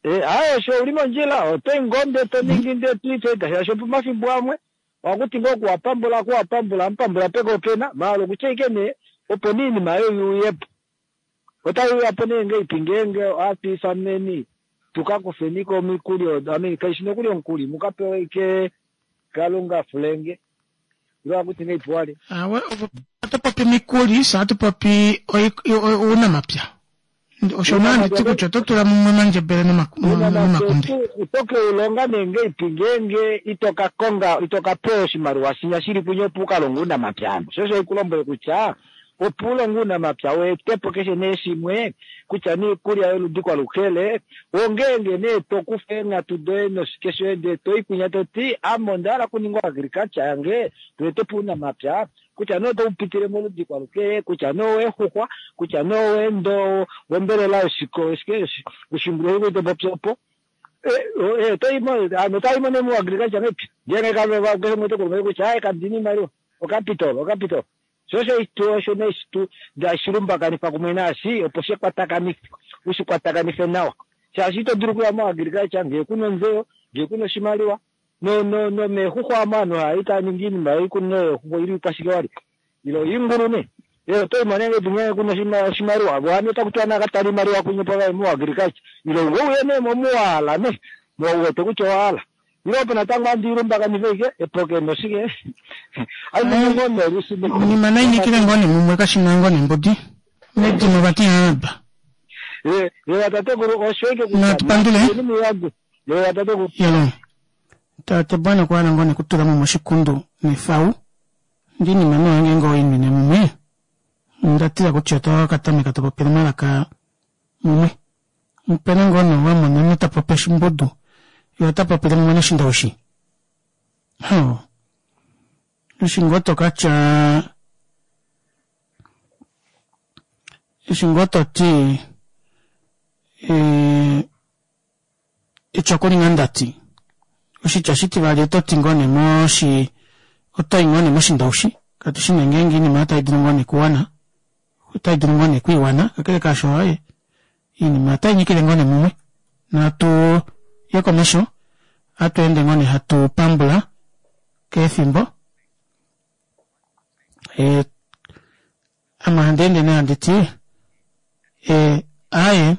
Speaker 3: Aaye osho uli mondjila otoyi ngoo ndee toningi ndee toifeta shaashi opomafimbo amwe ohakuti ngoo okuwapambula okuwapambula amupambula peke opena maala okutya ike nee opo nee iinima oyo iuyepo. Otayi uyapo nee ngeipi ngeenge ohatu ifaneni tukakufeniko omikuli odo I kaishi nokuli omukuli mukapewe ike kalunga fulenge ilo hakuti ngeipi wali.
Speaker 1: Awe oto popi omikuli fye ohatu popi ounamapya. Osho nee handiti kutya oto tula mumwe omandjebele nomakunde.
Speaker 3: Oto keulonga nee ngeipi ngeenge ito ka konga ito ka pewa oshimaliwa shinya shili kunye opo ukalonge ounamapya ano. Sho osho haikulombwele kutya Opo ulonge uunamapya weetepo keshe nee shimwe kutya niikulya yoludi kwalukele ongeenge nee tokufa eenghatu doye noshike shoye ndee toyi toti ame onda hala okuninga agriculture yange toetepo uunamapya kutya nee otoupitile moludi kwalukele kutya nee oweexuxwa kutya nee oweendo wombelela yoshiko oshimbulu topopi opo toyimo nee mu agriculture mepya ngeenge keshe umwe otekulumai kutya aye kandina iimaliwa ocapital ocapital sho osho osho nee shilumbakanifa kumwe naashi opo shekwatakanife ushikwatakanife nawa shaashi ito dulu okuya mo agriculture ngee kuna ontseyo ngee kuna oshimaliwa no no no meexuxwa amo aanhu hai taa ningi iinima iikunino yeexuxwa ili kwashike wali ilo iingulu ne otoyimo nee ngee kuna oshimaliwa vo otaku tiwa nakatala iimaliwa kunye po mu agriculture ilo ngouye nee momuwahala ne mouwete kutya owahala ilo opo natango handi ilumbakanife ike epoke noshike
Speaker 1: inima nainikile ngoo nemumwe kashina ngoo nembudi medimo vati haaba natupandule yelo tate bwana okwahala ngoo nekutula mo moshikundu nefau ndi inima nee ngeenge oinwine mumwe ndatila kutya otakatameka topopile omalaka mumwe opena ngoo nee wamona omunhu tapopi oshimbudu yee ota popile mumwe noshindowishi ho eshi ngoo tokatya eshi ngoo toti eti okulinga ndati oshitya oshitivali ototi ngoo nee moshi otoyi ngoo nee moshindowishi katushi nee ngeenge oinima oyo otaidulu ngoo nee okuwana otaidulu ngoo nee okwiiwana kakele kaasho aaye oinima otainyikile ngoo nee mumwe natu ye komesho ohatweende ngoo nee hatu pambula kefimbo ame handeende nee handiti aaye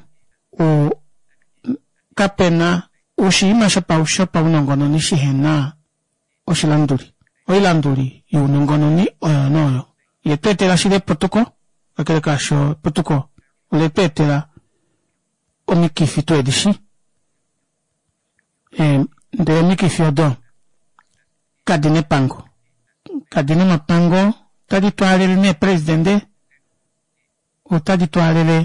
Speaker 1: kapena oshinima shopaunongononi shihena oshilanduli oilanduli younongononi oyo nee oyo yetweetela shili eputuko kakele kaasho eputuko oletweetela omikifi tuhedishi ndee omikifi odo kadina epango kadina omapango otadi twaalele nee presidente otadi twaalele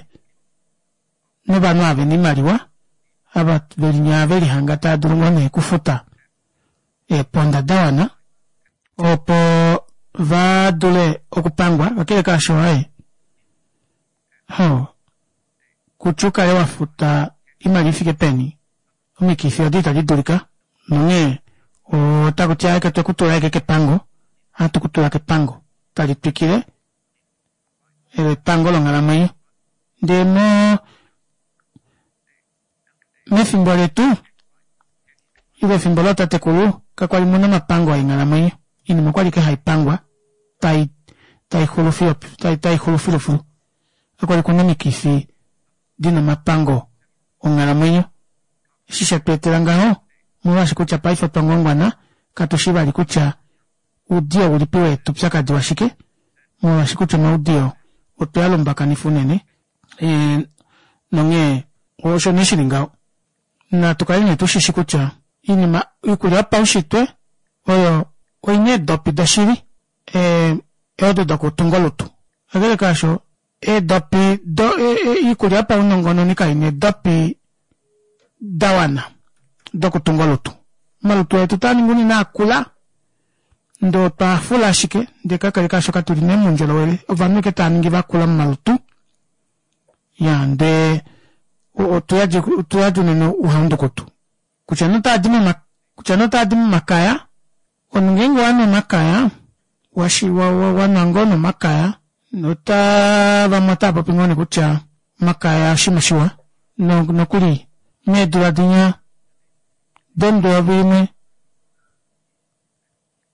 Speaker 1: novanhu ava vena oimaliwa ava velinya velihanga taadulu ngoo nee okufuta eeponda dawana opo vadule okupangwa kakele kaasho aaye kutya ukale wafuta oimaliwa ifike peni omikifi odo itadi dulika nonghee otakuti aaye twekutula ashike kepango ohatu kutula kepango tali twikile epango longhalamwenyo ndee mo mefimbo letu ile efimbo lootatekulu kakwali muna omapango eenghalamwenyo oinima okwali ashike haipangwa tai taixulu fiyo taixulu filufilu kakwali kuna omikifi dina omapango onghalamwenyo eshi shetweetela ngaho omolwaashi kutya paife otwa ngwangwana katushi vali kutya oudiyo ulipi weeta oupyakadi washike molwaashi kutya omaudiyo otwea lumbakanifa unene nonghee osho nee shili ngaho natu kale nee tushishi kutya oinima oikulya yopaushitwe oyo oina eedopi doshili odo dokutunga olutu kakele kaasho eedopi oikulya yopaunongononi kaina eedopi dawana dokutunga olutu omalutu etu otaaningi unene akula ndee otwafula ashike ndee kakele kaasho katuli nee moundjolowele ovanhu ashike taaningi vakula momalutu iyaa ndee otuyadi unene ouhaundukutu kutya nee otaadi momakaya omunhu ngeenge owanu omakaya wanwa ngoo nee omakaya otaa vamwe otaapopi ngoo nee kutya omakaya oshinima shiwa nokuli meedula dinya domudo eyovi limwe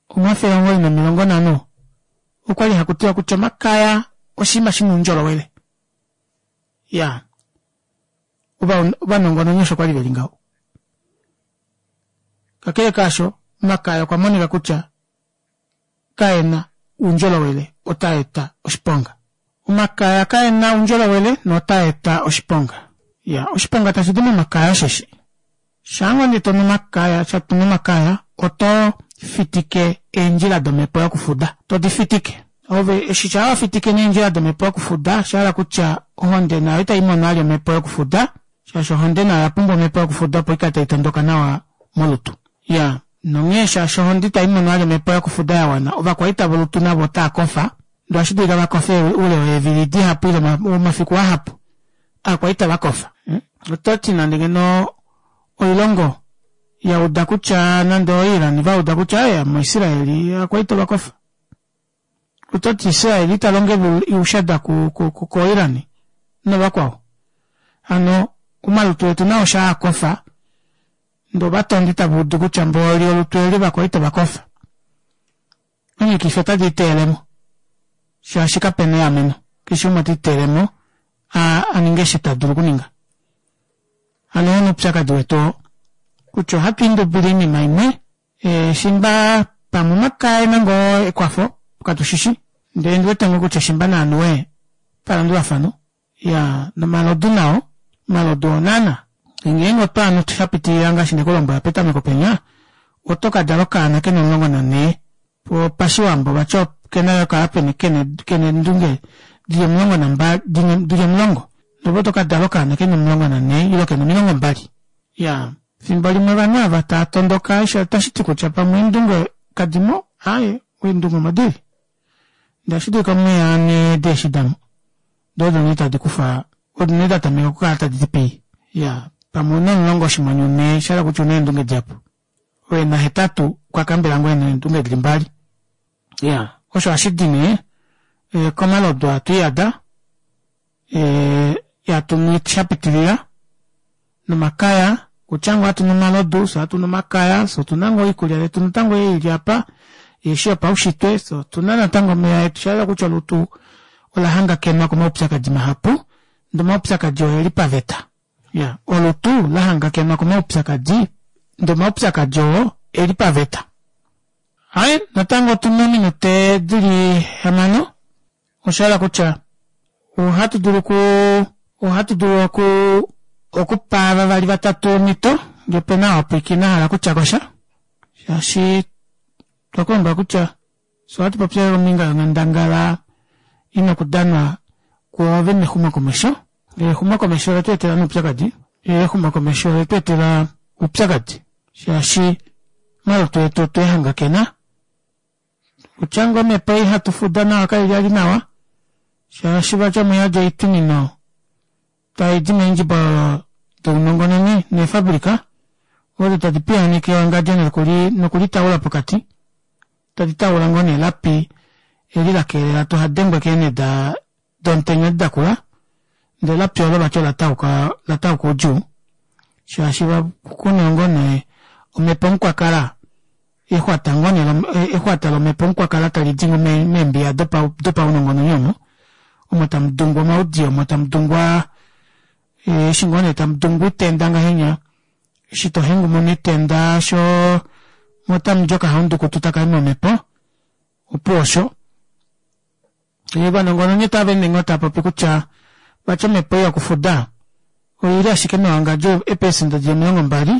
Speaker 1: omafele omugoyi nomilongo nhano okwali hakutiwa kutya omakaya oshinima shina oundjolowele iyaa ovanongononi osho kwali veli ngaho kakele kaasho omakaya okwa monika kutya kaena oundjolowele otaeta oshiponga omakaya kaena oundjolowele notaeta oshiponga iya oshiponga tashidi momakaya osheshi shaangoo nee tonu omakaya tonu omakaya oto fitike eendjila domepo yokufuda todi fitike Ove eshi shaa wafitike neendjila domhepo yokufuda oshahala kutya ohonde nayo itaimono vali omepo yokufuda shaashi ohonde nayo oyapumbwa omepo yokufuda opo ikale taitondoka nawa molutu. Iyaa nonghee shaashi ohonde itaimono vali omepo yokufuda yawana ovakwaita volutu navo otaakofa ndee ohashidulika vakofe oule weevili dihapu ile omafiku ahapu ovakwaita vakofa. Ototi nande ngeno oilongo yauda kutya nande o iran vauda kutya aaye mo israel ovakwaita ovakofa ototi israel italongo oushada ko iran novakwao hano omalutu etu nao shaakofa ndee ovatondi tavaudu kutya mboli olutu eli ovakwaita ovakofa omikifi ota diiteyelemo shaashi kapena eameno keshe umwe otiiteyelemo aninge eshi tadulu okuninga hano oo nee oupyakadi wetu oo kutya ohatwiindubile oinima imwe shimba pamwe omakaya oena ngoo ekwafo katushishi ndee ondiwete ngoo kutya shimba naanuwe palandulafano iyaa nomalodu nao omalodu oo naana ngeenge otwaanu shapitilila ngaashi ndekulombwela petameko penya otokadala okaana kena omulongo nanhee poo pashiwambo vati okena okukala kena eendunge dili omulongo nambali dili omulongo ndee ove otokadala okaana kena omulongo nanhee ile kena omilongo mbali iyaa efimbo limwe ovanhu aava taatondoka otashiti kutya pamwe eendunge kadimo aaye eendunge omo dili ndee ohashidulika omunhu anwe deeshi damo doo odo nee tadi kufa odo nee datameka okukala taditi pii iyaa pamwe ouna omulongo oshinghwanyu nhee oshahala kutya ouna eendunge dihapu oo ena hetatu okwakambela ngoo ena eendunge dili mbali iyaa osho ohashidi nee komalodu aa twiiyada ee hatunu shapitilila nomakaya okutya ngoo hatunu omalodu fyee ohatunu omakaya fyee otuna ngoo oikulya yetu natango ei ili aapa ihefi yopaushitwe fyee otuna natango omeva etu oshayela kutya olutu olahangakenwa komaupyakadi mahapu ndee omaupyakadi oo oeli paveta iyaa olutu lahangakenwa komaupyakadi ndee omaupyakadi oo oeli paveta. Aaye natango otuna ominute dili hamano oshahala kutya ohatu dulu okuu ohatu dulu okuu okupa vavali vatatu omito ngee opena oo apwiikina ahala okutyakosha shaashi otwekulombwela kutya fyee ohatupopi kombinga yonghandangala ina okudanwa kwoove mexumokomesho ndee exumokomesho oletweetela nee oupyakadi exumokomesho oletweetela oupyakadi shaashi omalutu etu otweehangakena okutya ngoo omepo ei hatufuda nayo kaili vali nawa shaashi vati omuyadi oitwimino taidi meendjibololo dounongononi neefabrika odo tadi piyaaneke ewangadjo nokulitaula pokati tadi taula ngoo nee elapi eli lakelela tuhadengwe keenhe domutenya edi dakula ndee elapi oolo vati olatauka oudjuu shaashi kuna ngoo nee omepo mukwakala exwata ngoo nee exwata lomepo mukwakala talidi meembiya dopaunongononi omo omo tamudungwa omaudiyo omo tamudungwa eshi ngoo nee tamudungwa oitenda ngahenya eshi tohengumuna oitenda shoo moo otamudi okahaundukutu takayi momepo opuwo osho. Ovanongononi otaveende ngoo taapopi kutya vati omepo ei yokufuda oili ashike mewangadjo eeprecenter dili omilongo mbali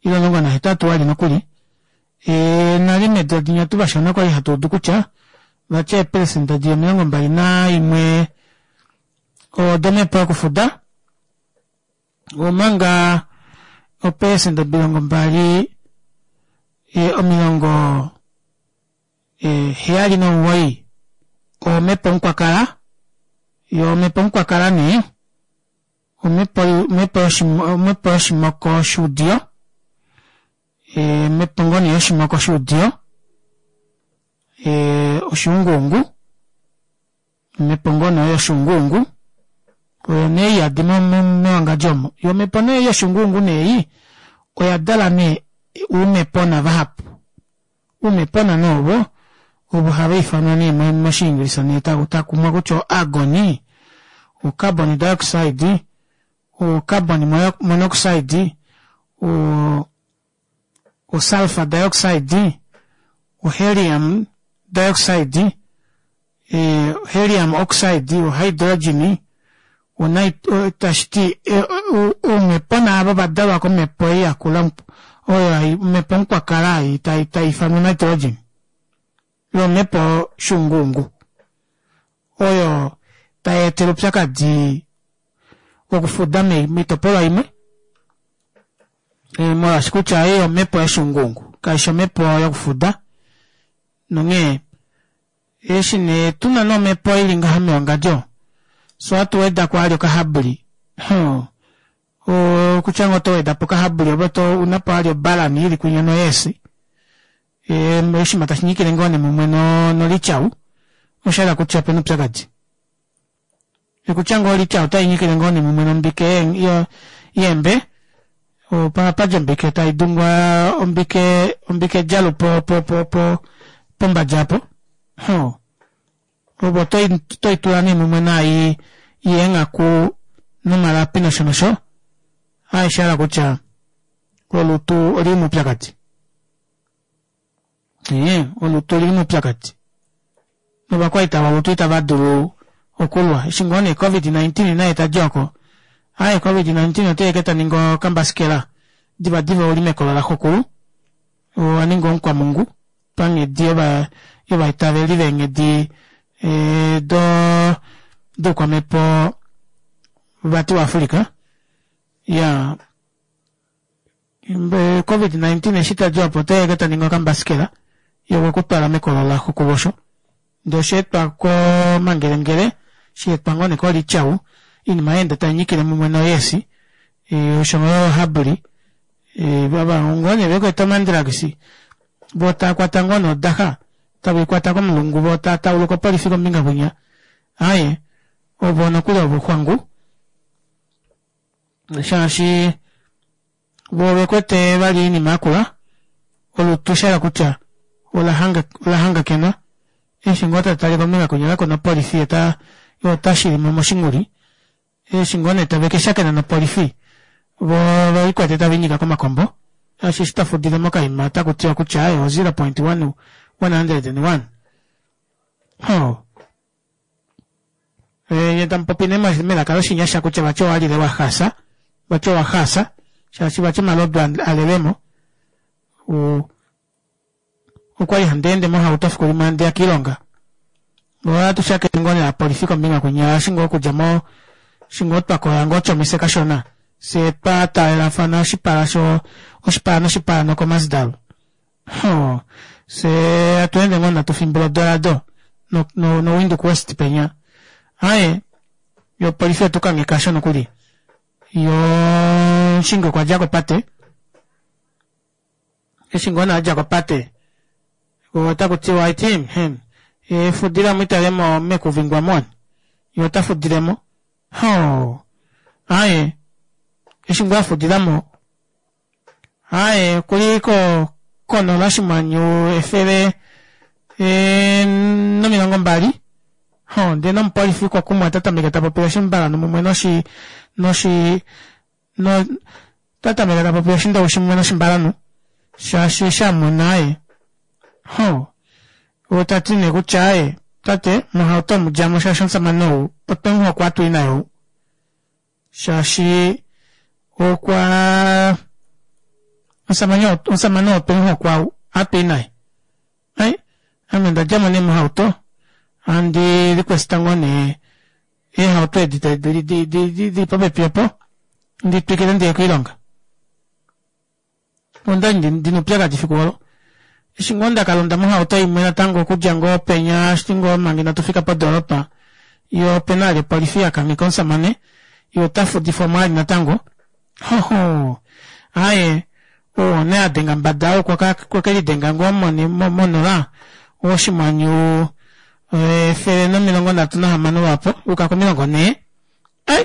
Speaker 1: ile omulongo nahetatu vali nokuli ee nale meedula dinya tuvashona okwali hatuudu kutya vati eeprecenter dili omilongo mbali naimwe odomepo yokufuda omanga eeprecenter omilongo mbali omilongo heyali nomugoyi omepo mukwakala yoo omepo mukwakala nee omepo yoshimoko shuudiyo omepo ngoo nee yoshimoko shuudiyo oshuunguungu omepo ngoo nee oyo yoshuunguungu oyo nee iyadi mewangadjo omo yoo omepo nee yoshuunguungu nee oyadala nee oumepona vahapu oumepona nee ovo ovo havaifanwa nee moshiingilisa takumwa kutya o argoni o carbon dioxide o carbon monoxide o sulphur dioxide o helium dioxide helium oxide o hydrogen tashiti oumepona aava ovadalwa komepo ei yakula oyo omepo mukwakala ei taifanwa nitrogen yoo omepo shuunguungu. etele oupyakadi wokufuda moitopolwa imwe molwaashi kutya ei omepo yoshuunguungu kaifi omepo yokufuda nonghee eshi nee tuna nee omepo ili ngaha mewangadjo fyee ohatu wedako vali okahabli huh okutya ngoo oto wedapo okahabli ove ounapo vali obalani ili kwinya noyeesi oshiima tashinyikile ngoo nee mumwe nolityau oshahala kutya opena oupyakadi okutya ngoo olitya otainyikile ngoo nee mumwe nombike yeembe ohapadji ombike taidungwa ombike ombike djalu po- po- po pombadja aapo hoo ove otoitula nee mumwe naai yeenghaku nomalapi nosho nosho aaye oshahala kutya olutu olili moupyakadi ee olutu olili moupyakadi novakwaita volutu ita vadulu okulwa eshi ngoo nee covid nineteen naye tadi ooko aaye covid nineteen oteya ashike taningi okambasikela divadiva ouli mekolo laxokulu owaninga omukwamungu panghedi yovaitaveli veenghedi doo doukwamepo vati wa africa iyaa covid nineteen eshi tadi aapo oteya ashike taningi okambasikela yee okwekutwala mekolo laxokulu osho ndee oshaetwa komangelengele shaetwa ngoo nee kolityau oinima yaenda tainyikile mumwe noyeesi oshoyo ohabli ava ngoo nee vekwete omandrugs voo taakwata ngoo nee odaxa taveikwata komulungu voo tava tauluka opolifi kombinga kwinya aaye ovo nokuli ovo xwangu shaashi voo ovekwete vali oinima yakula olutu oshahala kutya olahangakenwa eshi ngoo tatale kombinga kwinya kakuna opolifi yee otashilimo moshinguli eshi ngoo nee tavekashakena nopolifi voo ovelikwete taviinyika komakombo shaashi eshi tafudile mokaima otakutiwa kutya aaye o zero point one hundred and one hoo nyee tamupopi nee melaka loshinyasha kutya vati owalile wahaasa vati owahaasa shaashi vati omalodu alelemo okwali handeende mohauto efikulimwe handiya koilonga ohatu shakene ngoo nee novapolifi kombinga kwinya eshi ngoo okudja mo eshi ngoo twakoya ngoo otjomise kashona fyee twataalelafana oshipala oshipala noshipala nokomasdal hoo fyee hatweende ngoo nee hatufimbula odorado no windhoek west penya aaye yoo opolifi oyetukangheka aasho nokuli yoo omushingi okwadja kopate eshi ngoo nee adja kopate otakutiwa aiti fudilamo italemo mekuvingwa omu yee otafudilemo hoo aaye eshi ngoo afudilamo aaye okuli konola oshinghwanyu efele nomilongo mbali hoo ndee nomupolifi okwakumwa otatameke tapopi oshimbalanhu mumwe noshi noshi otatameke tapopi oshindowishi mumwe noshimbalanhu shaashi eshi amona aaye hoo otati nee kutya aaye tate mohauto omu djamo shaashi omushamane ou otwemuhokwa hatui naye ou shaashi okwaa omushamane ou otwemuhokwa ou ohatui naye ai ame ondadjamo nee mohauto handi request ngoo nee eehauto edi dili popepi opo nditwikile ndiye koilonga ondali ndina oupyakadi efiku oolo eshi ngoo ndakalonda mohauto imwe natango okudja ngoo penya eshi ngoo manga inatufika podoropa yee opena vali opolifi yakangheka omushamane yee otafudifwamo vali natango hohoo aaye oo nee adenga mbada ou okwekelidenga ngoo monola oshinghwanyu efele nomilongo nhatu nahamano lwaapo ayuka komilongo nhee ai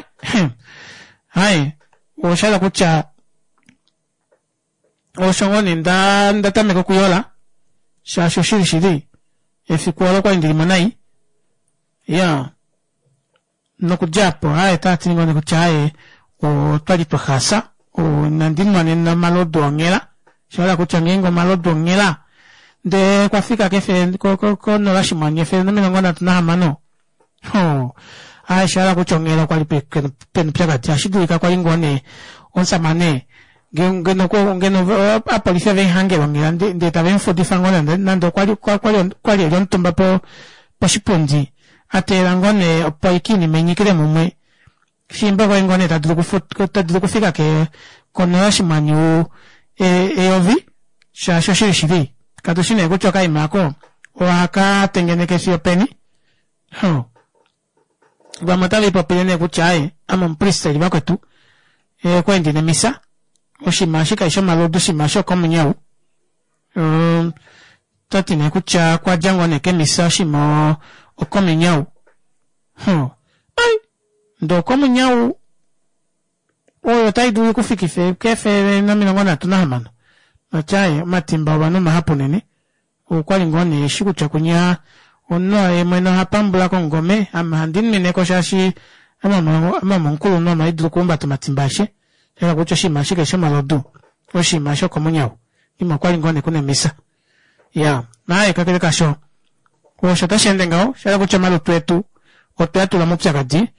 Speaker 1: aaye oshahala kutya osho ngoo nee ndatameka okuyola shaashi oshili shili efiku oolo okwali ndilimo nai iyaa nokudja aapo aaye otavati ngoo neekutya aaye otwali twahaasa inandi nwa nena omalodu onghela oshahala kutya ngeenge omalodu onghela ndee okwafika kefele konola oshinghwanyu efele nomilongo nhatu nahamano hoo aaye oshahala kutya onghela okwali pena oupyakadi ohashidulika kwali ngoo nee omushamane ngeno ngeno ovapolifi ovemuhangele onghela ndee tavemufudifa ngoo nande okwali eli omutumba poshipundi Ateelela ngoo nee opo aike oinima inyikile mumwe shiimba okwali ngoo nee tadulu tadulu okufika konola oshinghwanyu eyovi shaashi oshili shili katushi nee kutya okaima aako ohakatengeneke fiyo openi huh vamwe otaviipopile nee kutya aaye ame omupristeli vakwetu okwali ndina emisa oshinima eshi kashishi omalodu oshinima eshi okomunyau otati nee kutya okwadja ngoo nee kemisa oshinima okomunyau huh ai ndee okomunyau oyo otaidulu ikufikife kefele nomilongo nhatu nahamano vati aaye omatimba ovanhu omahapu unene okwali ngoo nee eshi kutya kunya omunhu yeemwene ohapambula komungome ame ohandi nwineko shaashi ame omukulunhu ame ohaidulu okuhumbata omatimba aeshe shahala kutya oshinima eshi kashishi omalodu oshinima eshi okomunyau oshinima okwali ngoo nee kuna emisa iyaa aaye kakele kaasho osho tasheende ngaho oshahala kutya omalutu etu otwea tula moupyakadi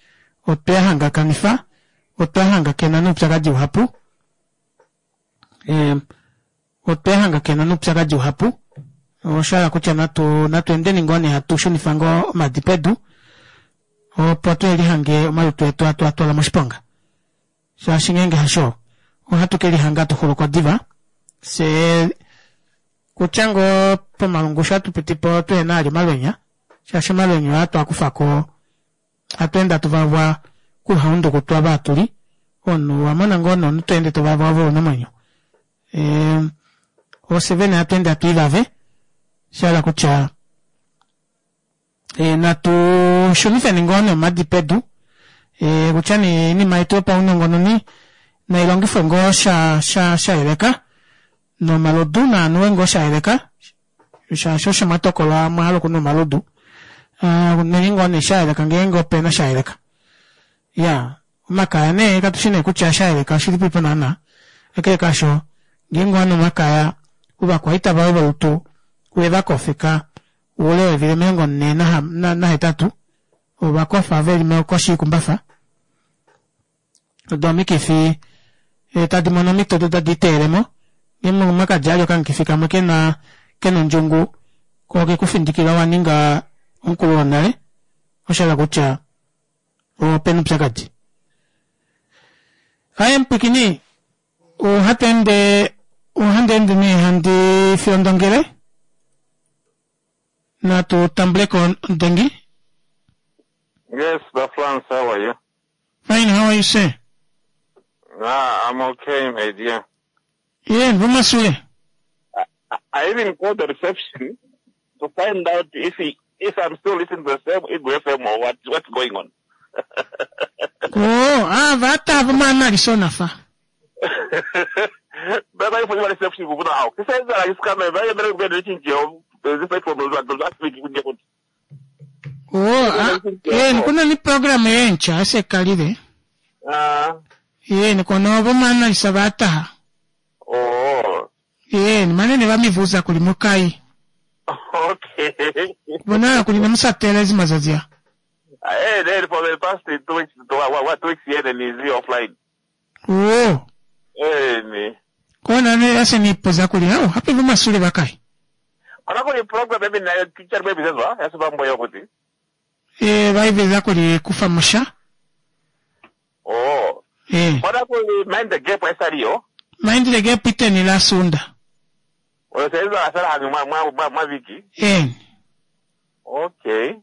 Speaker 1: otwea hangakanifa otwa hangakena noupyakadi uhapu otwa hangakena noupyakadi uhapu oshahala kutya natu natu endeni ngoo nee hatu shunifa ngoo omadi pedu opo tuhelihange omalutu etu hatu atwala moshiponga shaashi ngeenge hasho ohatu kelihanga hatuxuluko diva fyee kutya ngoo pomalungushu hatupitipo tuhena vali omalwenya shaashi omalwenya oo hatwaakufako hatweende hatu vavwa kuhaunduku twava hatuli omunhu owamona ngoo nee omunhu tweende tovava ove una omwenyo ofye vene hatweende hatwiivave oshahala kutya natu shunifeni ngoo nee omadi pedu kutya nee oinima yetu yopaunongononi nailongifwe ngoo sha sha shayeleka nomalodu naanuwe ngoo shayeleka shaashi osho mwatokola omwahala okunwa omalodu nweni ngoo nee shayeleka ngeenge opena shayeleka iyaa omakaya nee katushi nee kutya shayeleka oshilipipo naana kakele kaasho ngeenge owanu omakaya ovakwaita voye volutu owevakofeka oule weevili omilongo nhee nahetatu ovakofa veli koshi yoikumbafa doo omikifi tadi mono omito doo otadi liteelemo ngeenge omwakadja vali okamukifi kamwe kena kena ondjungu koo okekufindikila owaninga omukulu wonale oshahala kutya opena oupyakadi. Aaye mupwiikini ohatweende ohandeende nee handi fiondongele natu tambuleko omudengi.
Speaker 4: Yes, the France, how are you?
Speaker 1: Fine, how are you sir?
Speaker 4: Ah, I'm okay, my dear.
Speaker 1: Yeah, Vumasule.
Speaker 4: I, I even called the reception to find out if he, if I'm still listening to the same Igwe F M or what, what's going on.
Speaker 1: Oh, ah, vata vumana nafa.
Speaker 4: Baba ifo ni reception kubuna hao. Kisa hizo la iskame, baba mbele mbele chinjio, this platform was last week kunje kuti.
Speaker 1: Oh, ah, eh, kuna ni program yencha asekalile.
Speaker 4: Ah.
Speaker 1: Eh, kono vumana isabata.
Speaker 4: Oh.
Speaker 1: Eh, manene vamivuza kuli mukai.
Speaker 4: Okay.
Speaker 1: Bona kuli namusatela ezimazazia.
Speaker 4: Eh, then for the past two weeks, two, what, two weeks here and is offline.
Speaker 1: Oh.
Speaker 4: Eh, ni.
Speaker 1: Kona ne ase nipoza kuli hao, hape vumasule bakai.
Speaker 4: Kona kuli program maybe na teacher maybe zezwa, yaso bambo yokuti.
Speaker 1: Eh, vaiveza kuli kufa musha.
Speaker 4: Oh.
Speaker 1: Eh.
Speaker 4: Kona kuli mind the gap esariyo.
Speaker 1: Mind the gap iteni la sunda.
Speaker 4: Oyo asala hangi mwa mwa mwa mwa viki.
Speaker 1: Eh.
Speaker 4: Okay.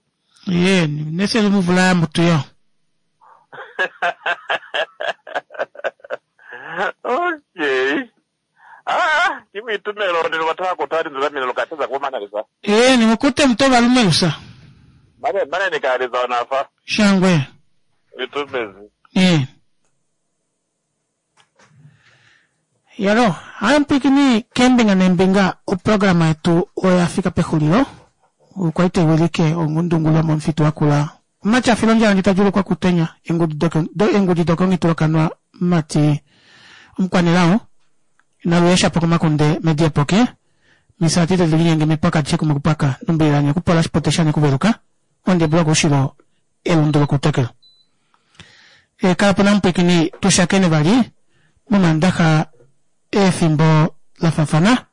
Speaker 1: Eh, nese lumuvula mutu yo.
Speaker 4: Okay. Ah, kimi tumelo ndilo wataka kutari ndilo mimi lokateza kwa maana lisa.
Speaker 1: Eh, nimukute mtoba lumelusa.
Speaker 4: Mane mane nikaliza nafa.
Speaker 1: Shangwe.
Speaker 4: Itumezi.
Speaker 1: Eh. Yalo, haya mpikini kembinga nembinga oprograma yetu oyafika pexulilo. Okwa itewilike ongundungula momufitu wakula. Mati filonja ngitajulukwa kutenya engudi dokongitulokanwa mati omukwanelao naluesha pokomakunde mediepoke misati telinyenge mipaka tshikume kupaka numbilanya kupola shipoteshane kuveluka onde block ushilo elundulo kutekelo. E kala pona mpwikini tushakene vali momandaxa efimbo la fafana.